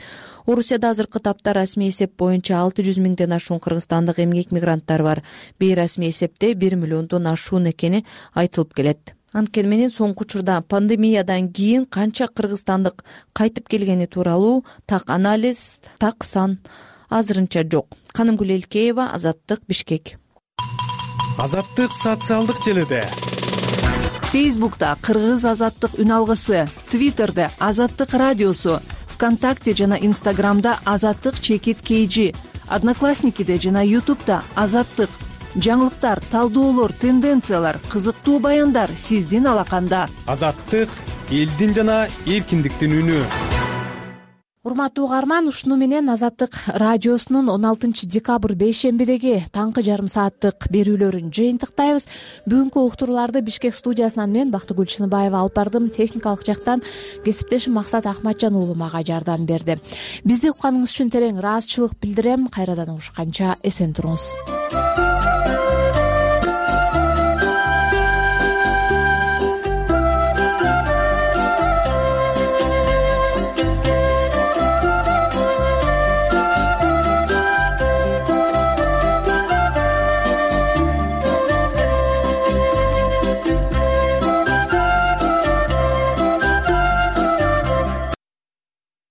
Орусияда азыркы тапта расмий эсеп боюнча 600 миңден ашуун кыргызстандык эмгек мигранттар бар. Бейрасмий эсепте 1 миллиондон ашуун экени айтылып келет. Анткени менен соңку учурда пандемиядан кийин канча кыргызстандык кайтып келгени тууралуу так анализ, так сан азырынча жок. Канымгүл Элкеева, Азаттык, Бишкек. Азаттык социалдык желиде. Фейсбукта Кыргыз Азаттык үн алгысы, Твиттерде Азаттык радиосу, ВКонтакте жана Инстаграмда Азаттык чекит KG, Одноклассникиде жана Ютубта Азаттык. Жаңылыктар, талдоолор, тенденциялар, кызыктуу баяндар сиздин алаканда. Азаттык элдин жана эркиндиктин үнү. Урматтуу угарман, ушуну менен Азаттык радиосунун 16 декабрь бейшембидеги таңкы жарым сааттык берүүлөрүн жыйынтыктайбыз. Бүгүнкү уктурууларды Бишкек студиясынан мен Бактыгүл Чыныбаева алып бардым. Техникалык жактан кесиптешим Максат Ахматжан уулу мага жардам берди. Бизди укканыңыз үчүн терең ыраазычылык билдирем. Кайрадан угушканча эсен туруңуз.